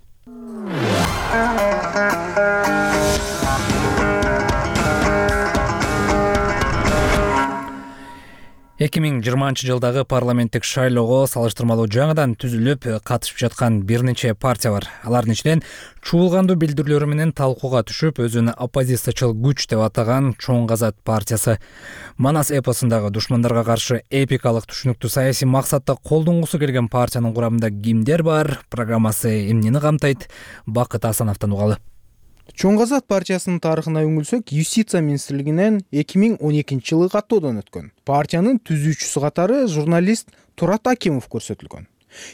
эки миң жыйырманчы жылдагы парламенттик шайлоого салыштырмалуу жаңыдан түзүлүп катышып жаткан бир нече партия бар. Алардын ичинен чуулгандуу билдирүүлөрү менен талкууга түшүп, өзүн оппозициячыл күч деп атаган Чоң Казат партиясы. Манас эпосундагы душмандарга каршы эпикалык түшүнүктүү саясий максатта колдонгусу келген партиянын курамында кимдер бар? Программасы эмнени камтайт? Бакыт Асановдон угалы. Чоң Казат партиясынын тарыхына үңүлсөк, Юстиция министрлигинен эки миң он экинчи жылы каттоодон өткөн. Партиянын түзүүчүсү катары журналист Турат Акимов көрсөтүлгөн.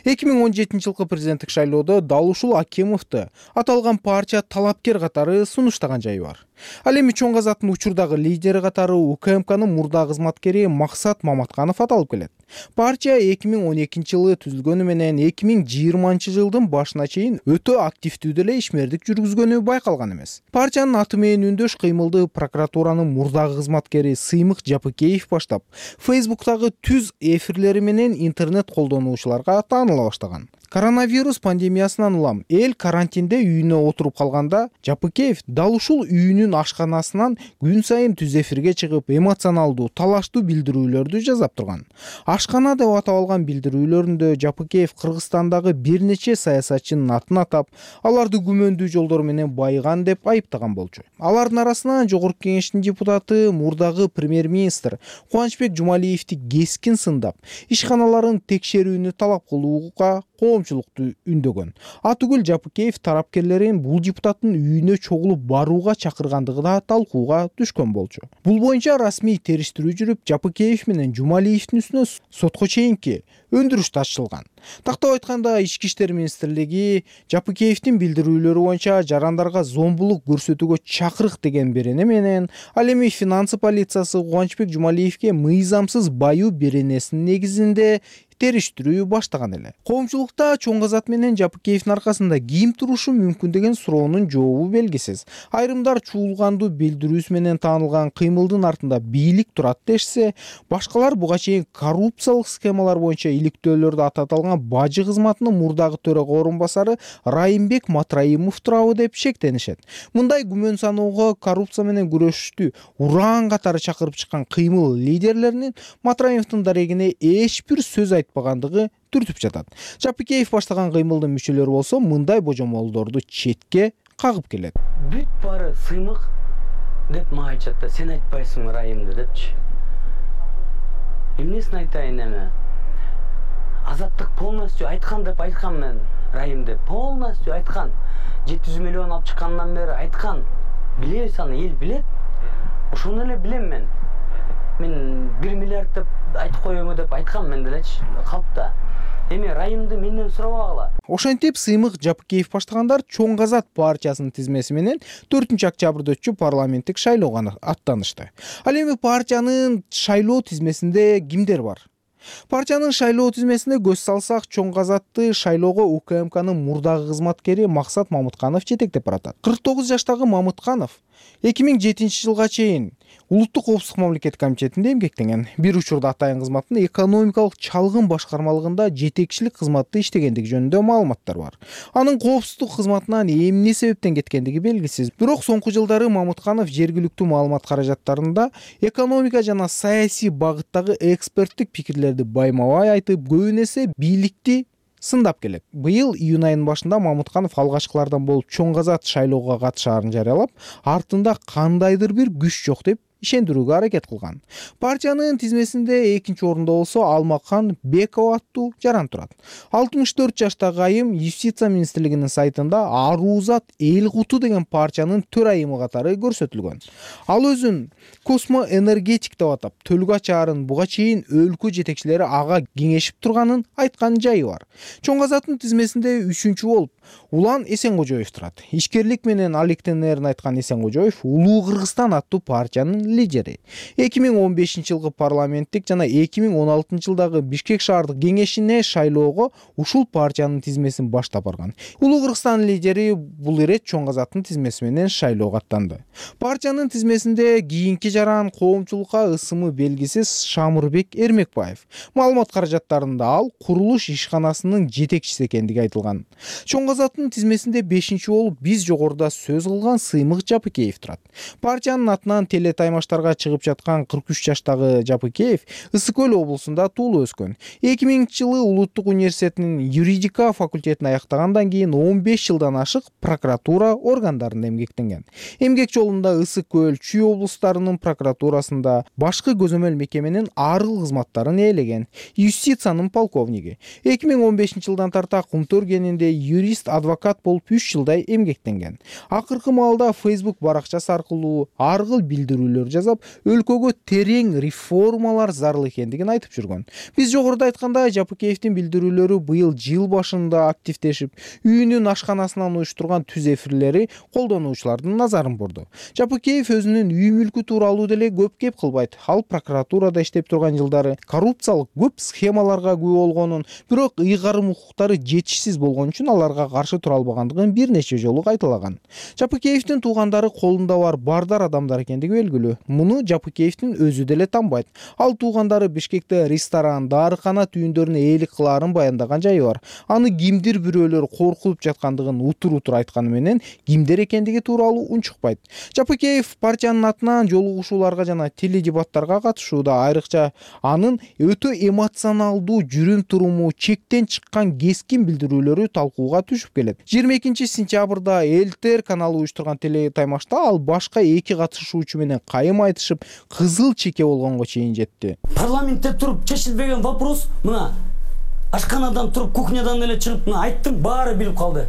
эки миң он жетинчи жылкы президенттик шайлоодо дал ушул Акимовду аталган партия талапкер катары сунуштаган жайы бар. Ал эми Чоң Казаттын учурдагы лидери катары УКМКнын мурда кызматкери Максат Маматканов аталып келет. Партия эки миң он экинчи жылы түзүлгөнү менен эки миң жыйырманчы жылдын башына чейин өтө активдүү деле ишмердик жүргүзгөнү байкалган эмес. Партиянын аты менен үндөш кыймылды прокуратуранын мурдагы кызматкери Сыймык Жапыкеев баштап, Фейсбуктагы түз эфирлери менен интернет колдонуучуларга тааныла баштаган. Коронавирус пандемиясынан улам эл карантинде үйүнө отуруп калганда, Жапыкеев дал ушул үйүнүн ашканасынан күн сайын түз эфирге чыгып, эмоционалдуу, талаштуу билдирүүлөрдү жасап турган. Ашкана деп атап алган билдирүүлөрүндө Жапыкеев Кыргызстандагы бир нече саясатчынын атын атап, аларды күмөндүү жолдор менен байыган деп айыптаган болчу. Алардын арасынан Жогорку Кеңештин депутаты, мурдагы премьер-министр Кубанычбек Жумалиевди кескин сындап, ишканаларын текшерүүнү талап кылууга коомчулукту үндөгөн. Атүгүл Жапыкеев тарапкерлерин бул депутаттын үйүнө чогулуп барууга чакырган айткандыгы да талкууга түшкөн болчу. Бул боюнча расмий териштирүү жүрүп, Жапыкеев менен Жумалиевдин үстүнө сотко чейинки өндүрүш ачылган. Тактап айтканда, Ички иштер министрлиги Жапыкеевдин билдирүүлөрү боюнча жарандарга зомбулук көрсөтүүгө чакырык деген берене менен, ал эми финансы полициясы Кубанычбек Жумалиевге мыйзамсыз баюу беренесинин негизинде териштирүү баштаган эле. Коомчулукта Чоң Азат менен Жапыкеевдин аркасында ким турушу мүмкүн деген суроонун жообу белгисиз. Айрымдар чуулгандуу билдирүүсү менен таанылган кыймылдын артында бийлик турат дешсе, башкалар буга чейин коррупциялык схемалар боюнча иликтөөлөрдө ататалган бажы кызматынын мурдагы төрага орун басары Райымбек Матраимов турабы деп шектенишет. Мындай күмөн саноого коррупция менен күрөшүштү ураан катары чакырып чыккан кыймыл лидерлеринин Матраимовдун дарегине эч бир сөз айтпагандыгы түртүп жатат. Жапыкеев баштаган кыймылдын мүчөлөрү болсо мындай божомолдорду четке кагып келет. Бүт баары сыймык деп мага айтышат да, сен айтпайсың Райымды депчи. Эмнесин айтайын эми? Азаттык полностью айткан деп айткам мен Райымды. Полностью айткан. жети жүз миллион алып чыккандан бери айткан. Билебиз аны, эл билет. Ошону эле билем мен. Мен бир миллиард деп айтып коеюңу деп айткам мен делечи, калпта. Эми Райымды менден сурабагыла. Ошентип сыймык Жапыкеев баштагандар Чоң Азат партиясынын тизмеси менен төртүнчү октябрда өтчү парламенттик шайлоого аттанышты. Ал эми партиянын шайлоо тизмесинде кимдер бар? Партиянын шайлоо тизмесине көз салсак, Чоң Азатты шайлоого У К М Кнын мурдагы кызматкери Максат Мамытканов жетектеп баратат. кырк тогуз жаштагы Мамытканов эки миң жетинчи жылга чейин Улуттук коопсуздук мамлекеттик комитетинде эмгектенген. Бир учурда атайын кызматында экономикалык чалгын башкармалыгында жетекчилик кызматты иштегендиги жөнүндө маалыматтар бар. Анын коопсуздук кызматынан эмне себептен кеткендиги белгисиз. Бирок соңку жылдары Мамытканов жергиликтүү маалымат каражаттарында экономика жана саясий багыттагы эксперттик пикирлерди байма-бай айтып, көбүн эсе бийликти сындап келет. Быйыл июнь айынын башында Мамытканов алгачкылардан болуп Чоң Азат шайлоого катышаарын жарыялап, артында кандайдыр бир күч жок деп ишендирүүгө аракет кылган. Партиянын тизмесинде экинчи орунда болсо Алмакхан Бекова аттуу жаран турат. алтымыш төрт жаштагы айым Юстиция министрлигинин сайтында Арузат Эл Куту деген партиянын төрайымы катары көрсөтүлгөн. Ал өзүн космоэнергетик деп атап, Төлгөч аарын буга чейин өлкө жетекчилери ага кеңешип турганын айткан жайы бар. Чоң Азаттын тизмесинде үчүнчү болуп Улан Эсенгожоев турат. Ишкерлик менен алектенерин айткан Эсенгожоев Улуу Кыргызстан аттуу партиянын лидери. эки миң он бешинчи жылкы парламенттик жана эки миң он алтынчы жылдагы Бишкек шаардык кеңешине шайлоого ушул партиянын тизмесин баштап барган. Улуу Кыргызстан лидери бул ирет Чоң Азаттын тизмеси менен шайлоого аттанды. Партиянын тизмесинде кийинки жаран коомчулукка ысымы белгисиз Шамырбек Эрмекбаев. Маалымат каражаттарында ал курулуш ишканасынын жетекчиси экендиги айтылган. Чоң Азаттын тизмесинде бешинчи болуп биз жогоруда сөз кылган Сыймык Жапыкеев турат. Партиянын атынан телетаймаштарга чыгып жаткан кырк үч жаштагы Жапыкеев Ысык Көл облусунда туулуп өскөн. эки миңинчи жылы Улуттук университетинин юридика факультетин аяктагандан кийин он беш жылдан ашык прокуратура органдарында эмгектенген. Эмгек жолунда Ысык Көл, Чүй облустарынын прокуратурасында башкы көзөмөл мекеменин ар кыл кызматтарын ээлеген. Юстициянын полковниги. эки миң он бешинчи жылдан тарта Кумтөр кенинде юрист, адвокат болуп үч жылдай эмгектенген. Акыркы маалда Facebook баракчасы аркылуу ар кыл билдирүүлөр жасап, өлкөгө терең реформалар зарыл экендигин айтып жүргөн. Биз жогоруда айткандай, Жапыкеевдин билдирүүлөрү быйыл жыл башында активдешип, үйүнүн ашканасынан уюштурган түз эфирлери колдонуучулардын назарын бурду. Жапыкеев өзүнүн үй мүлкү тууралуу деле көп кеп кылбайт. Ал прокуратурада иштеп турган жылдары коррупциялык көп схемаларга күбө болгонун, бирок ыйгарым укуктары жетишсиз болгон үчүн аларга каршы тура албагандыгын бир нече жолу кайталаган. Жапыкеевдин туугандары колунда бар бардар адамдар экендиги белгилүү. Муну Жапыкеевдин өзү деле танбайт. Ал туугандары Бишкекте ресторан, дарыкана түйүндөрүнө ээлик кылаарын баяндаган жайы бар. Аны кимдир бирөөлөр коркутуп жаткандыгын утур-утур айтканы менен кимдер экендиги тууралуу унчукпайт. Жапыкеев партиянын атынан жолугушууларга жана теледебаттарга катышууда, айрыкча анын өтө эмоционалдуу жүрүм-туруму, чектен чыккан кескин билдирүүлөрү талкууга түшүп келет. жыйырма экинчи сентябрда Элтер каналы уюштурган телетаймашта ал башка эки катышуучу менен кайым айтышып, кызыл чеке болгонго чейин жетти. Парламентте туруп чечилбеген вопрос мына ашканадан туруп кухнядан эле чыгып мына айттым, баары билип калды.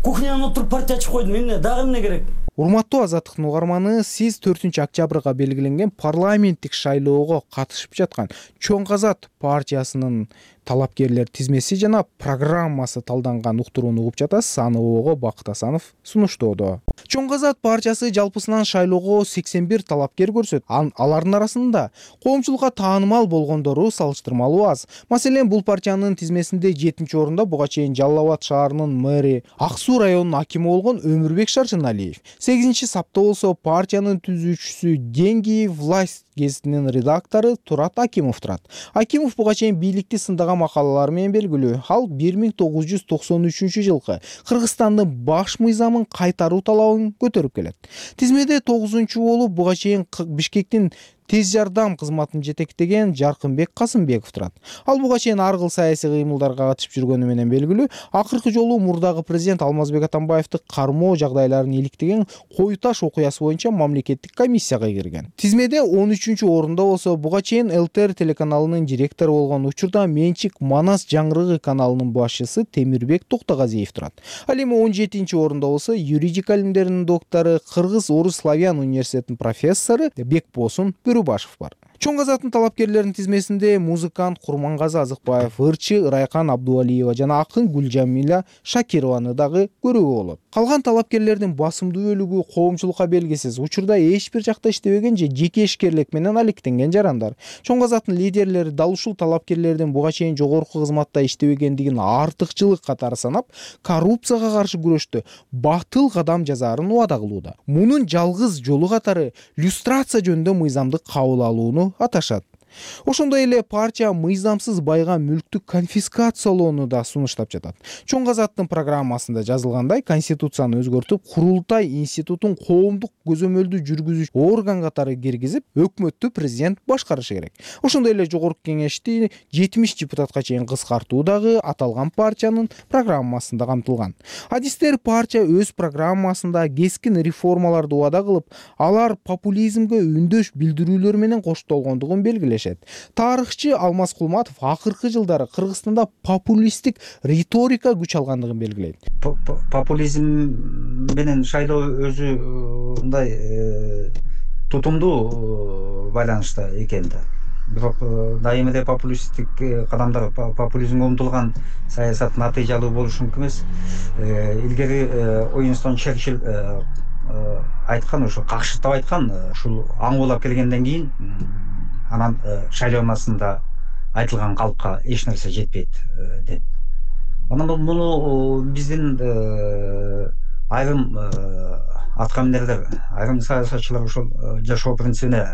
Кухнядан отуруп партия ачып койдум, эмне дагы эмне керек? урматтуу Азаттыктын угарманы, сиз төртүнчү октябрга белгиленген парламенттик шайлоого катышып жаткан Чоң Азат партиясынын талапкерлер тизмеси жана программасы талданган уктурууну угуп жатасыз. Аны ого Бакыт Асанов сунуштоодо. Чоң Азат партиясы жалпысынан шайлоого сексен бир талапкер көрсөт. Алардын арасында коомчулукка таанымал болгондору салыштырмалуу аз. Маселен, бул партиянын тизмесинде жетинчи орунда буга чейин Жалал Абад шаарынын мэри, Ак Суу районунун акими болгон Өмүрбек Шаршыналиев. сегизинчи сапта болсо партиянын түзүүчүсү Деньги власть гезитинин редактору Турат Акимов турат. Акимов буга чейин бийликти сындаган макалалары менен белгилүү. Ал бир миң тогуз жүз токсон үчүнчү жылкы Кыргызстандын баш мыйзамын кайтаруу талабын көтөрүп келет. Тизмеде тогузунчу болуп буга чейин Бишкектин тез жардам кызматын жетектеген Жаркынбек Касымбеков турат. Ал буга чейин ар кыл саясий кыймылдарга катышып жүргөнү менен белгилүү. Акыркы жолу мурдагы президент Алмазбек Атамбаевди кармоо жагдайларын иликтеген Кою Таш окуясы боюнча мамлекеттик комиссияга кирген. Тизмеде он үчүнчү орунда болсо буга чейин эл тэ эр телеканалынын директору болгон, учурда Менчик Манас жаңгырыгы каналынын башчысы Темирбек Токтогазиев турат. Ал эми он жетинчи орунда болсо юридика илимдеринин доктору, Кыргыз Орус Славян университетинин профессору Бекбосун Башев бар. Чоң Азаттын талапкерлеринин тизмесинде музыкант Курмангазы Азыкбаев, ырчы Райкан Абдуалиева жана акын Гүлжамиля Шакированы дагы көрүүгө болот. Калган талапкерлердин басымдуу бөлүгү коомчулукка белгисиз, учурда эч бир жакта иштебеген же жеке ишкерлик менен алектенген жарандар. Чоң Азаттын лидерлери дал ушул талапкерлердин буга чейин жогорку кызматта иштебегендигин артыкчылык катары санап, коррупцияга каршы күрөштө батыл кадам жасаарын убада кылууда. Мунун жалгыз жолу катары люстрация жөнүндө мыйзамды кабыл алууну аташат. Ошондой эле партия мыйзамсыз байган мүлктү конфискациялоону да сунуштап жатат. Чоң Азаттын программасында жазылгандай, конституцияны өзгөртүп, курултай институтун коомдук көзөмөлдү жүргүзүүчү орган катары киргизип, өкмөттү президент башкарышы керек. Ошондой эле жогорку кеңешти жетимиш депутатка чейин кыскартуу дагы аталган партиянын программасында камтылган. Адистер партия өз программасында кескин реформаларды убада кылып, алар популизмге үндөш билдирүүлөр менен коштолгондугун белгилешет. Тарыхчы Алмаз Кулматов акыркы жылдары Кыргызстанда популисттик риторика күч алгандыгын белгилейт. Популизм менен шайлоо өзү мындай тутумдуу байланышта экен да. Бирок дайыма эле популисттик кадамдар, популизмге умтулган саясат натыйжалуу болушу мүмкүн эмес. Илгери Уинстон Черчилль айткан, ошо какшыктап айткан, ушул аңгуулап келгенден кийин анан шайлоонасында айтылган калпка эч нерсе жетпейт деп. Анан муну биздин айрым аткаминерлер, айрым саясатчылар ошол жашоо принцибине,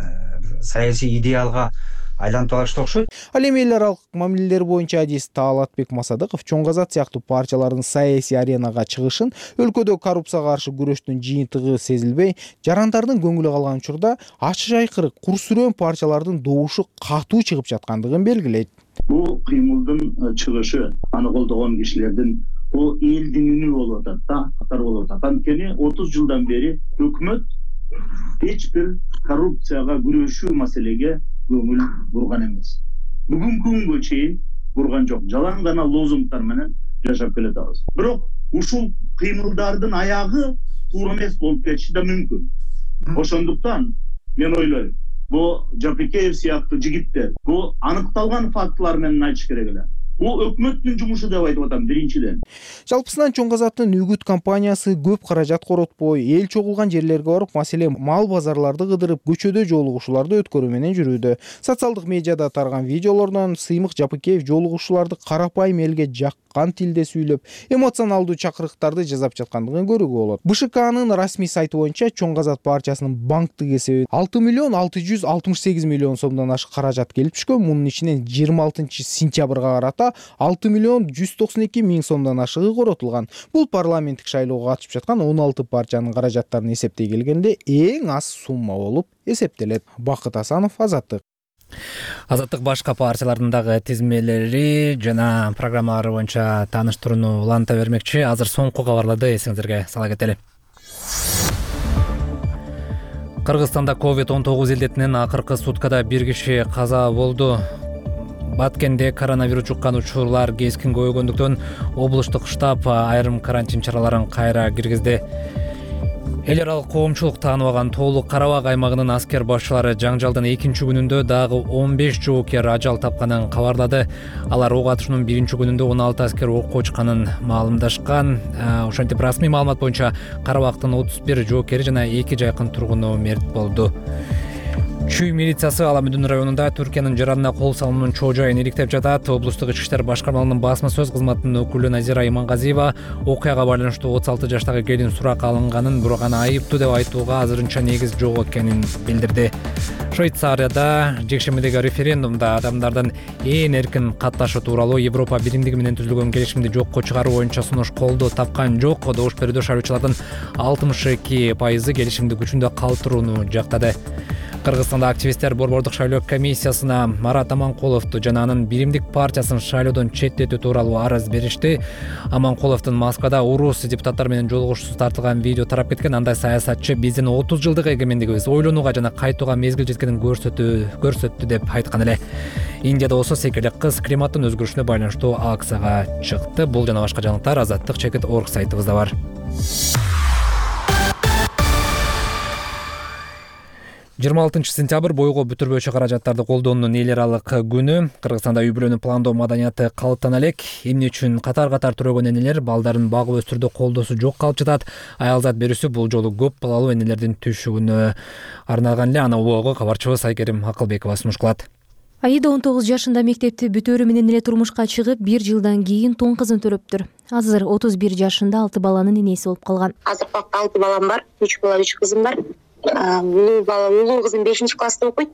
саясий идеалга айлантып алышты окшойт. Ал эми эл аралык мамилелер боюнча адис Таалатбек Масадыков Чоң Азат сыяктуу партиялардын саясий аренага чыгышын өлкөдө коррупцияга каршы күрөштүн жыйынтыгы сезилбей, жарандардын көңүлү калган учурда ачык айкыры курсүрөөн партиялардын добушу катуу чыгып жаткандыгын белгилейт. Бул кыймылдын чыгышы, аны колдогон кишилердин бул элдин үнү болуп атат да, катар болуп атат. Анткени отуз жылдан бери өкмөт эч бир коррупцияга күрөшүү маселеге көңүл бурган эмес. Бүгүнкү күнгө чейин бурган жок. Жалаң гана лозунгдар менен жашап келатабыз. Бирок ушул кыймылдардын аягы туура эмес болуп кетиши да мүмкүн. Ошондуктан мен ойлойм, бул Жапикеев сыяктуу жигиттер бул аныкталган фактылар менен айтыш керек эле. Бул өкмөттүн жумушу деп айтып атам биринчиден. Жалпысынан Чоң Азаттын үгүт компаниясы көп каражат коротпой, эл чогулган жерлерге барып, маселен, мал базарларды кыдырып, көчөдө жолугушууларды өткөрүү менен жүрүүдө. Социалдык медиада тарган видеолордон Сыймык Жапыкеев жолугушууларды карапайым элге жаккан тилде сүйлөп, эмоционалдуу чакырыктарды жасап жаткандыгын көрүүгө болот. бэ шэ канын расмий сайты боюнча Чоң Азат партиясынын банктык эсеби алты миллион алты жүз алтымыш сегиз миллион сомдон ашык каражат келип түшкөн. Мунун ичинен жыйырма алтынчы сентябрга карата алты миллион жүз токсон эки миң сомдон ашыгы коротулган. Бул парламенттик шайлоого катышып жаткан он алты партиянын каражаттарын эсептей келгенде эң аз сумма болуп эсептелет. Бакыт Асанов, Азаттык. Азаттык башка партиялардын дагы тизмелери жана программалары боюнча тааныштырууну уланта бермекчи. Азыр соңку кабарларды эсиңизерге сала кетели. Кыргызстанда ковид он тогуз илдетинен акыркы суткада бир киши каза болду. Баткенде коронавирус жуккан учурлар кескин көбөйгөндүктөн облустук штаб айрым карантин чараларын кайра киргизди. эл аралык коомчулук тааныбаган тоолук Кара Бак аймагынын аскер башчылары жаңжалдын экинчи күнүндө дагы он беш жоокер ажал тапканын кабарлады. Алар ок атышуунун биринчи күнүндө он алты аскер окко чыкканын маалымдашкан. Ошентип расмий маалымат боюнча Кара Бактын отуз бир жоокери жана эки жакын тургуну мерт болду. Чүй милициясы Аламүдүн районунда Түркиянын жаранына кол салуунун чоо жайын иликтеп жатат. Облустук ички иштер башкармалыгынын басма сөз кызматынын өкүлү Назира Имангазиева окуяга байланыштуу отуз алты жаштагы келин сурак алынганын, бирок аны айыптуу деп айтууга азырынча негиз жок экенин билдирди. Швейцарияда жекшембидеги референдумда адамдардын ээн эркин катташы тууралуу Европа биримдиги менен түзүлгөн келишимди жокко чыгаруу боюнча сунуш колдоо тапкан жок. Добуш берүүдө шайлоочулардын алтымыш эки пайызы келишимди күчүндө калтырууну жактады. Кыргызстанда активисттер борбордук шайлоо комиссиясына Марат Аманкуловду жана анын биримдик партиясын шайлоодон четтетүү тууралуу арыз беришти. Аманкуловдун Москвада урус депутаттар менен жолугушуусу тартылган видео тарап кеткен. Андай саясатчы биздин отуз жылдык эгемендигибиз ойлонууга жана кайтууга мезгил жеткенин көрсөтүү көрсөттү деп айткан эле. Индияда болсо секелек кыз климаттын өзгөрүшүнө байланыштуу акцияга чыкты. Бул жана башка жаңылыктар азаттык чекит точка орг сайтыбызда бар. жыйырма алтынчы сентябрь бойго бүтүрбөчү каражаттарды колдоонун эл аралык күнү. Кыргызстанда үй бүлөнү пландоо маданияты калыптана элек. Эмне үчүн катар-катар төрөгөн энелер балдарын багып өстүрүүдө колдоосу жок калып жатат? Аялзат берүүсү бул жолу көп балалуу энелердин түшүгүнө арналган эле. Аны убагы кабарчыбыз Айкерим Акылбекова сунуш кылат. Аида он тогуз жашында мектепти бүтөөрү менен эле турмушка чыгып, бир жылдан кийин тон кызын төрөптүр. Азыр отуз бир жашында алты баланын энеси болуп калган. Азыр бакта алты балам бар, үч бала, үч кызым бар. Улуу бала, улуу кызым бешинчи класста окуйт.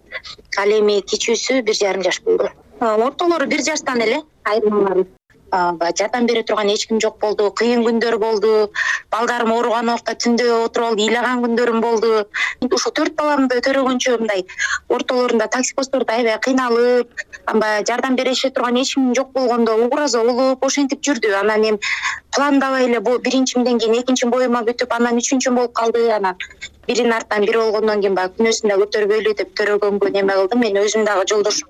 Ал эми кичүүсү бир жарым жаш болду. Ортолору бир жаштан эле айырмалар. Жардам бере турган эч ким жок болду. Кыйын күндөр болду. Балдарым ооруган убакта түндө отуруп алып ыйлаган күндөрүм болду. Ушул төрт баламды төрөгөнчө мындай ортолорунда таксипосттордо аябай кыйналып, амба жардам берише турган эч ким жок болгондо угураза болуп, ошентип жүрдү. Анан эми пландабай эле биринчимден кийин экинчим боюма бүтүп, анан үчүнчүм болуп калды. Анан биринин артынан бири болгондон кийин баягы күнөөсүн да көтөрбөйлү деп төрөгөнгө неме кылдым. Мен өзүм дагы жолдошум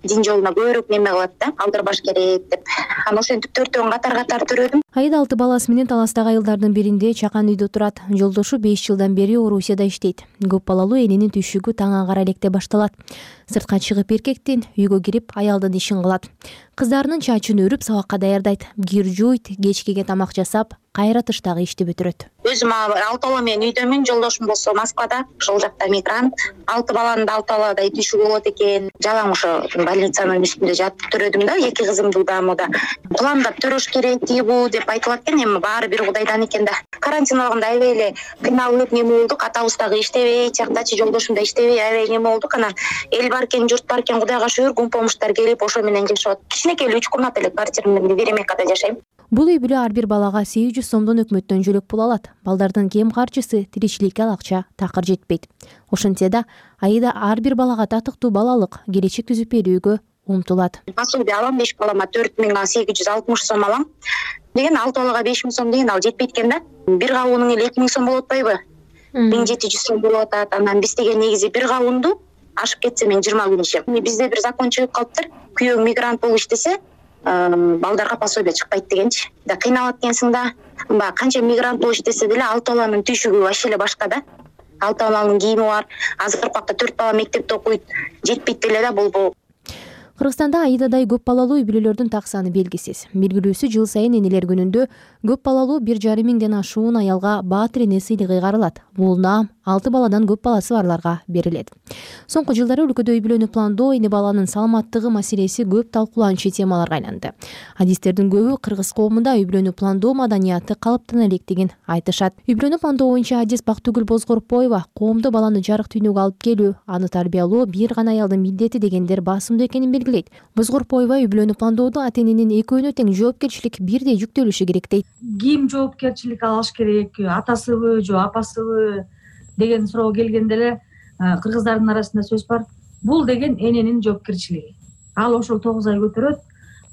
дин жолуна көбүрөөк неме кылат да, алдырбаш керек деп. Анан ошентип төртөөн катар-катар төрөдүм. Аида алты баласы менен таластагы айылдардын биринде чакан үйдө турат. Жолдошу беш жылдан бери Орусияда иштейт. Көп балалуу эненин түшүгү таң аңгара электе башталат. Сыртка чыгып эркектин, үйгө кирип аялдын ишин кылат. Кыздарынын чачын өрүп сабакка даярдайт. Кир жууйт, кечкеге тамак жасап, кайра тыштагы ишти бүтүрөт. Өзүм алты бала менен үйдөмүн, жолдошум болсо Москвада, ошол жакта мигрант. Алты баланын алты баладай түшүгү болот экен. Жалаң ошо больницанын үстүндө жатып төрөдүм да, эки кызымды да мода. Пландап төрөш керек тийбу деп айтылат экен, эми баары бир Кудайдан экен да. Карантин убагында аябай эле кыйналып неме болдук, атабыз дагы иштебей, жактачы жолдошум да иштебей, аябай неме болдук. Анан эл бар экен, журт бар экен, Кудайга шүгүр, кум помуштар келип ошо менен жашап. Кичинекей эле үч комната эле квартира менен Веремекада жашайм. Бул үй бүлө ар бир балага сегиз жүз сомдон өкмөттөн жөлөк пул алат. Балдардын кем карчысы тиричиликке ал акча такыр жетпейт. Ошентсе да Аида ар бир балага татыктуу балалык келечек түзүп берүүгө умтулат. Пособие алам, беш балама төрт миң сегиз жүз алтымыш сом алам. Деген алты балага беш миң сом деген ал жетпейт экен да. Бир кабуунун эле эки миң сом болуп атпайбы? миң жети жүз сом болуп атат. Анан биз деген негизи бир кабуунду ашып кетсе мен жыйырма күн ишем. Бизде бир закон чыгып калыптыр. Күйөөң мигрант болуп иштесе, балдарга пособие чыкпайт дегенчи. Да кыйналат экенсиң да. Баягы канча мигрант болуп иштесе деле алты баланын түшүгү вообще эле башка да. Алты баланын кийими бар. Азыр убакта төрт бала мектепте окуйт. Жетпейт деле да бул. Кыргызстанда Аидадай көп балалуу үй бүлөлөрдүн так саны белгисиз. Белгилүүсү жыл сайын энелер күнүндө көп балалуу бир жарым миңден ашуун аялга баатыр эне сыйлыгы кайрылат. Бул наам алты баладан көп баласы барларга берилет. Соңку жылдары өлкөдө үй бүлөнү пландоо, эне баланын саламаттыгы маселеси көп талкууланчу темаларга айланды. Адистердин көбү кыргыз коомунда үй бүлөнү пландоо маданияты калыптана электигин айтышат. Үй бүлөнү пландоо боюнча адис Бактыгүл Бозгорпоева коомдо баланы жарык дүйнөгө алып келүү, аны тарбиялоо бир гана аялдын милдети дегендер басымдуу экенин белгилейт. Бозгорпоева үй бүлөнү пландоодо ата-эненин экөөнө тең жоопкерчилик бирдей жүктөлүшү керек дейт. Ким жоопкерчилик алыш керек, атасыбы же апасыбы деген суроо келгенде эле кыргыздардын арасында сөз бар. Бул деген эненин жоопкерчилиги. Ал ошол тогуз ай көтөрөт,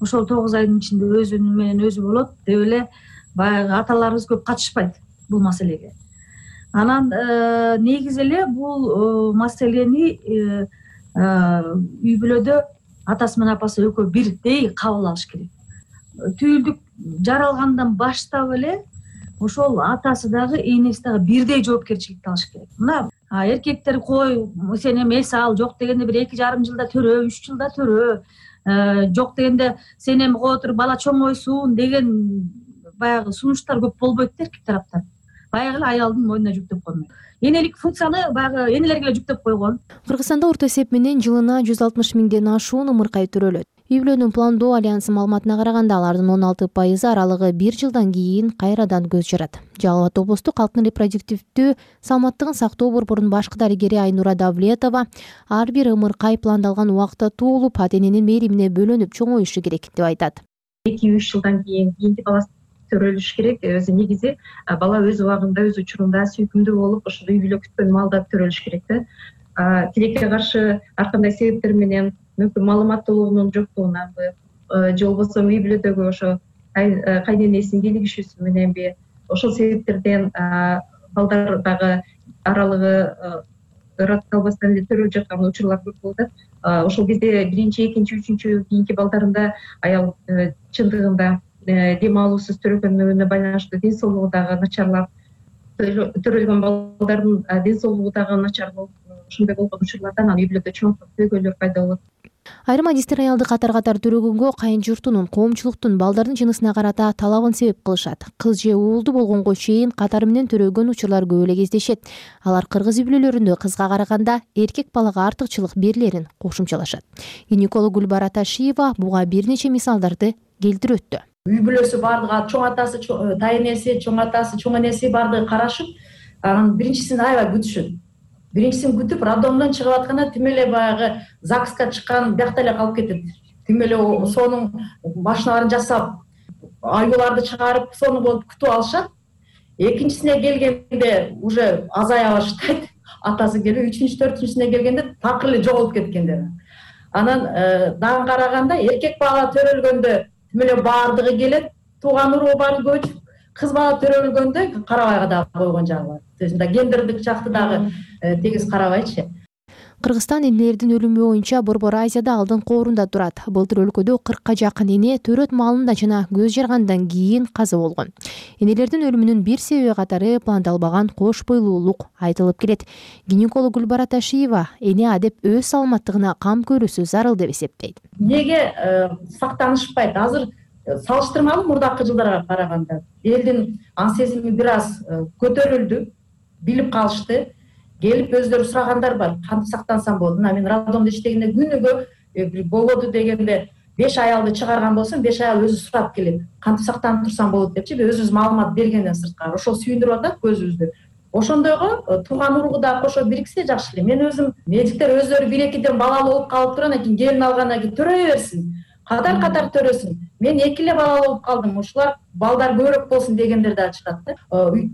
ошол тогуз айдын ичинде өзүнүн менен өзү болот деп эле баягы аталарыбыз көп катышпайт бул маселеге. Анан негизи эле бул маселени үй бүлөдө атасы менен апасы экөө бирдей кабыл алыш керек. Түйүлдүк жаралгандан баштап эле ошол атасы дагы энеси дагы бирдей жоопкерчиликти алыш керек. Мына эркектер кой сен эми эс ал, жок дегенде бир эки жарым жылда төрө, үч жылда төрө, жок дегенде сен эми кое туруп бала чоңойсун деген баягы сунуштар көп болбойт да эркек тараптан. Баягы эле аялдын мойнуна жүктөп коймой. Энелик функцияны баягы энелерге эле жүктөп койгон. Кыргызстанда орто эсеп менен жылына жүз алтымыш миңден ашуун ымыркай төрөлөт. Үй бүлөнү пландоо альянсы маалыматына караганда алардын он алты пайызы аралыгы бир жылдан кийин кайрадан көз жарат. Жалал Абад облустук калктын репродуктивдүү саламаттыгын сактоо борборунун башкы дарыгери Айнура Давлетова ар бир ымыркай пландалган убакытта туулуп, ата эненин мээримине бөлөнүп чоңоюшу керек деп айтат. эки үч жылдан кийин кийинки баласы төрөлүш керек. Өзү негизи бала өз убагында, өз учурунда сүйкүмдүү болуп, ошол үй бүлө күткөн маалда төрөлүш керек да. Тилекке каршы ар кандай себептер менен мүмкүн маалыматтуулугунун жоктугунанбы же болбосо үй бүлөдөгү ошо кайненесинин келишүүсү мененби, ошол себептерден балдар дагы аралыгы ырат калбастан эле төрөлүп жаткан учурлар көп болуп атат. Ошол кезде биринчи, экинчи, үчүнчү кийинки балдарында аял чындыгында дем алуусуз төрөгөнүнө байланыштуу ден соолугу дагы начарлап, төрөлгөн балдардын ден соолугу дагы начар болуп, ошондой болгон учурлардан үй бүлөдө чоңойткон көйгөйлөр пайда болот. Айрым адистер аялды катар-катар төрөгөнгө кайын журтунун, коомчулуктун балдардын жынысына карата талабын себеп кылышат. Кыз же уулду болгонго чейин катары менен төрөгөн учурлар көп эле кездешет. Алар кыргыз үй бүлөлөрүндө кызга караганда эркек балага артыкчылык берилерин кошумчалашат. Гинеколог Гүлбара Ташиева буга бир нече мисалдарды келтирөттү. Үй бүлөсү бардыгы, чоң атасы, тайенеси, чоң атасы, чоң энеси бардыгы карашып, анан биринчисин аябай күтүшөт. Биринчисин күтүп, роддомдон чыгып атканда тим эле баягы ЗАГСка чыккан биякта эле калып кетет. Тим эле сонун машиналарын жасап, аюуларды чыгарып, сону болуп күтүп алышат. Экинчисине келгенде уже азая баштайт. Атасы келип, үчүнчү, төртүнчүсүнө келгенде такыр эле жоголуп кеткендер. Анан дагы караганда эркек бала төрөлгөндө тим эле бардыгы келет, тууган уруу баары көчүп, кыз бала төрөлгөндө карабай дагы койгон жагы бар. То есть гендердик жакты дагы тегиз карабайчы. Кыргызстан энелердин өлүмү боюнча Борбор Азияда алдын коорунда турат. Былтыр өлкөдө кыркка жакын эне төрөт маалында жана көз жаргандан кийин каза болгон. Энелердин өлүмүнүн бир себеби катары пландалбаган кош бойлуулук айтылып келет. Гинеколог Гүлбара Ташиева эне адеп өз саламаттыгына кам көрүүсү зарыл деп эсептейт. Неге сактанышпайт? Азыр салыштырмалуу мурдакы жылдарга караганда элдин ан сезими бир аз көтөрүлдү, билип калышты. Келип өздөрү сурагандар бар. Кантип сактансам болот? Мына мен роддомдо иштегенде күнүгө болоду дегенде беш аялды чыгарган болсом, беш аял өзү сурап келет. Кантип сактанып турсам болот депчи, өзүбүз маалымат бергенден сырткары. Ошол сүйүндүрүп атат көзүбүздү. Ошондойго тууган уруугу дагы кошо бириксе жакшы эле. Мен өзүм медиктер өздөрү бир экиден балалуу болуп калып турандан кийин келин алгандан кийин төрөй берсин. Катар-катар төрөсүн. Мен эки эле балалуу болуп калдым. Ушулар балдар көбүрөөк болсун дегендер да чыгат да.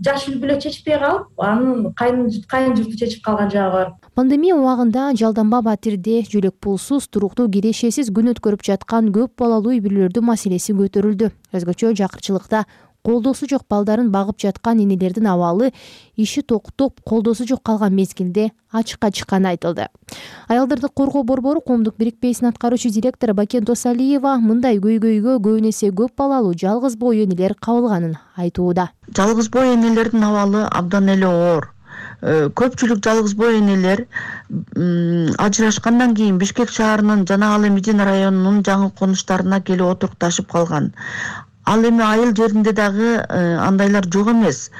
Жаш үй бүлө чечпей калып, анын кайын журту чечип калган жагы бар. Пандемия убагында Жалданба Батирде жөлөк пулсуз, туруктуу кирешесиз күн өткөрүп жаткан көп балалуу үй бүлөлөрдүн маселеси көтөрүлдү. Өзгөчө жакырчылыкта колдоосу жок балдарын багып жаткан энелердин абалы иши токтоп, колдоосу жок калган мезгилде ачыкка чыкканы айтылды. Аялдарды коргоо борбору коомдук бирикпесинин аткаруучу директору Бакен Досалиева мындай көйгөйгө көбүн эсе көп балалуу жалгыз бой энелер кабылганын айтууда. Жалгыз бой энелердин абалы абдан эле оор. Көпчүлүк жалгыз бой энелер ажырашкандан кийин Бишкек шаарынын жана ал эми Медина районунун жаңы конуштарына келип отурукташып калган. Ал эми айыл жеринде дагы андайлар жок эмес.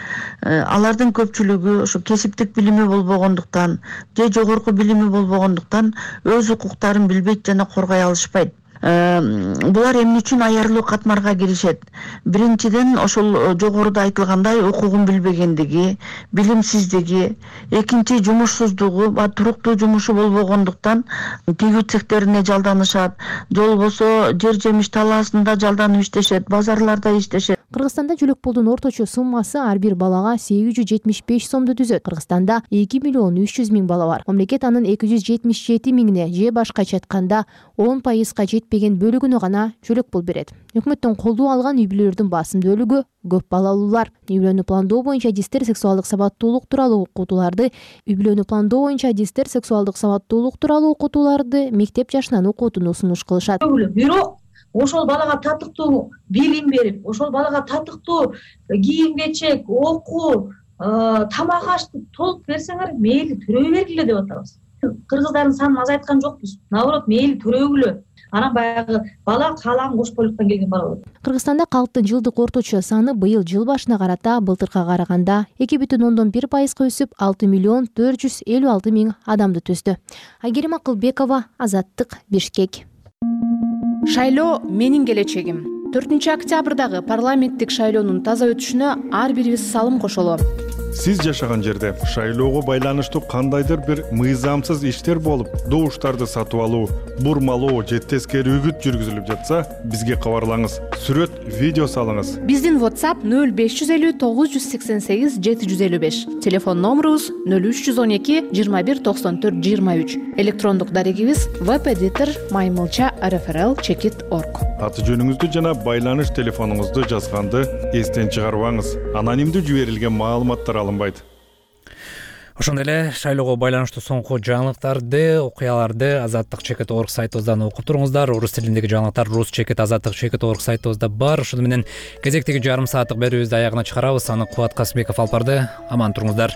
Алардын көпчүлүгү ошо кесиптик билими болбогондуктан же жогорку билими болбогондуктан өз укуктарын билбейт жана коргой алышпайт. Булар эмне үчүн аярлуу катмарга киришет? Биринчиден ошол жогоруда айтылгандай укугун билбегендиги, билимсиздиги, экинчи жумушсуздугу, туруктуу жумушу болбогондуктан тигүү цехтерине жалданышат, же болбосо жер жемиш талаасында жалданып иштешет, базарларда иштешет. Кыргызстанда жөлөк пулдун орточо суммасы ар бир балага сегиз жүз жетимиш беш сомду түзөт. Кыргызстанда эки миллион үч жүз миң бала бар. Мамлекет анын эки жүз жетимиш жети миңине же башкача айтканда он пайызга жетпеген бөлүгүнө гана жөлөк пул берет. Өкмөттөн колдоо алган үй бүлөлөрдүн басым бөлүгү көп балалуулар. Үй бүлөнү пландоо боюнча адистер сексуалдык сабаттуулук тууралуу окутууларды, үй бүлөнү пландоо боюнча адистер сексуалдык сабаттуулук тууралуу окутууларды мектеп жашынан окуутууну сунуш кылышат. Бирок ошол балага татыктуу билим берип, ошол балага татыктуу кийим кечек, окуу, тамак ашты толук берсеңер, мейли төрөй бергиле деп атабыз. Кыргыздардын санын азайткан жокпуз. Наоборот, мейли төрөгүлө. Анан баягы бала каалаган кош бойлуктан келген бала болот. Кыргызстанда калктын жылдык орточо саны быйыл жыл башына карата былтыркыга караганда эки бүтүн ондон бир пайызга өсүп, алты миллион төрт жүз элүү алты миң адамды түздү. Айгерим Акылбекова, Азаттык, Бишкек. Шайлоо менин келечегим. төртүнчү октябрдагы парламенттик шайлоонун таза өтүшүнө ар бирибиз салым кошолу. Сиз жашаган жерде шайлоого байланыштуу кандайдыр бир мыйзамсыз иштер болуп, добуштарды сатып алуу, бурмалоо же тескери үгүт жүргүзүлүп жатса, бизге кабарлаңыз. Сүрөт, видео салыңыз. Биздин WhatsApp нөл беш жүз элүү тогуз жүз сексен сегиз жети жүз элүү беш. Телефон номерубуз нөл үч жүз он эки жыйырма бир токсон төрт жыйырма үч. Электрондук дарегибиз webeditor маймылча эр эф эр эл чекит точка орг. Аты жөнүңүздү жана байланыш телефонуңузду жазганды эстен чыгарбаңыз. Анонимдүү жиберилген маалыматтар алынбайт. Ошондой эле шайлоого байланыштуу соңку жаңылыктарды, окуяларды азаттык чекит точка орг сайтыбыздан окуп туруңуздар. Орус тилиндеги жаңылыктар рус чекит азаттык чекит точка орг сайтыбызда бар. Ошону менен кезектеги жарым сааттык берүүбүздү аягына чыгарабыз. Аны Кубат Касымбеков алып барды. Аман туруңуздар.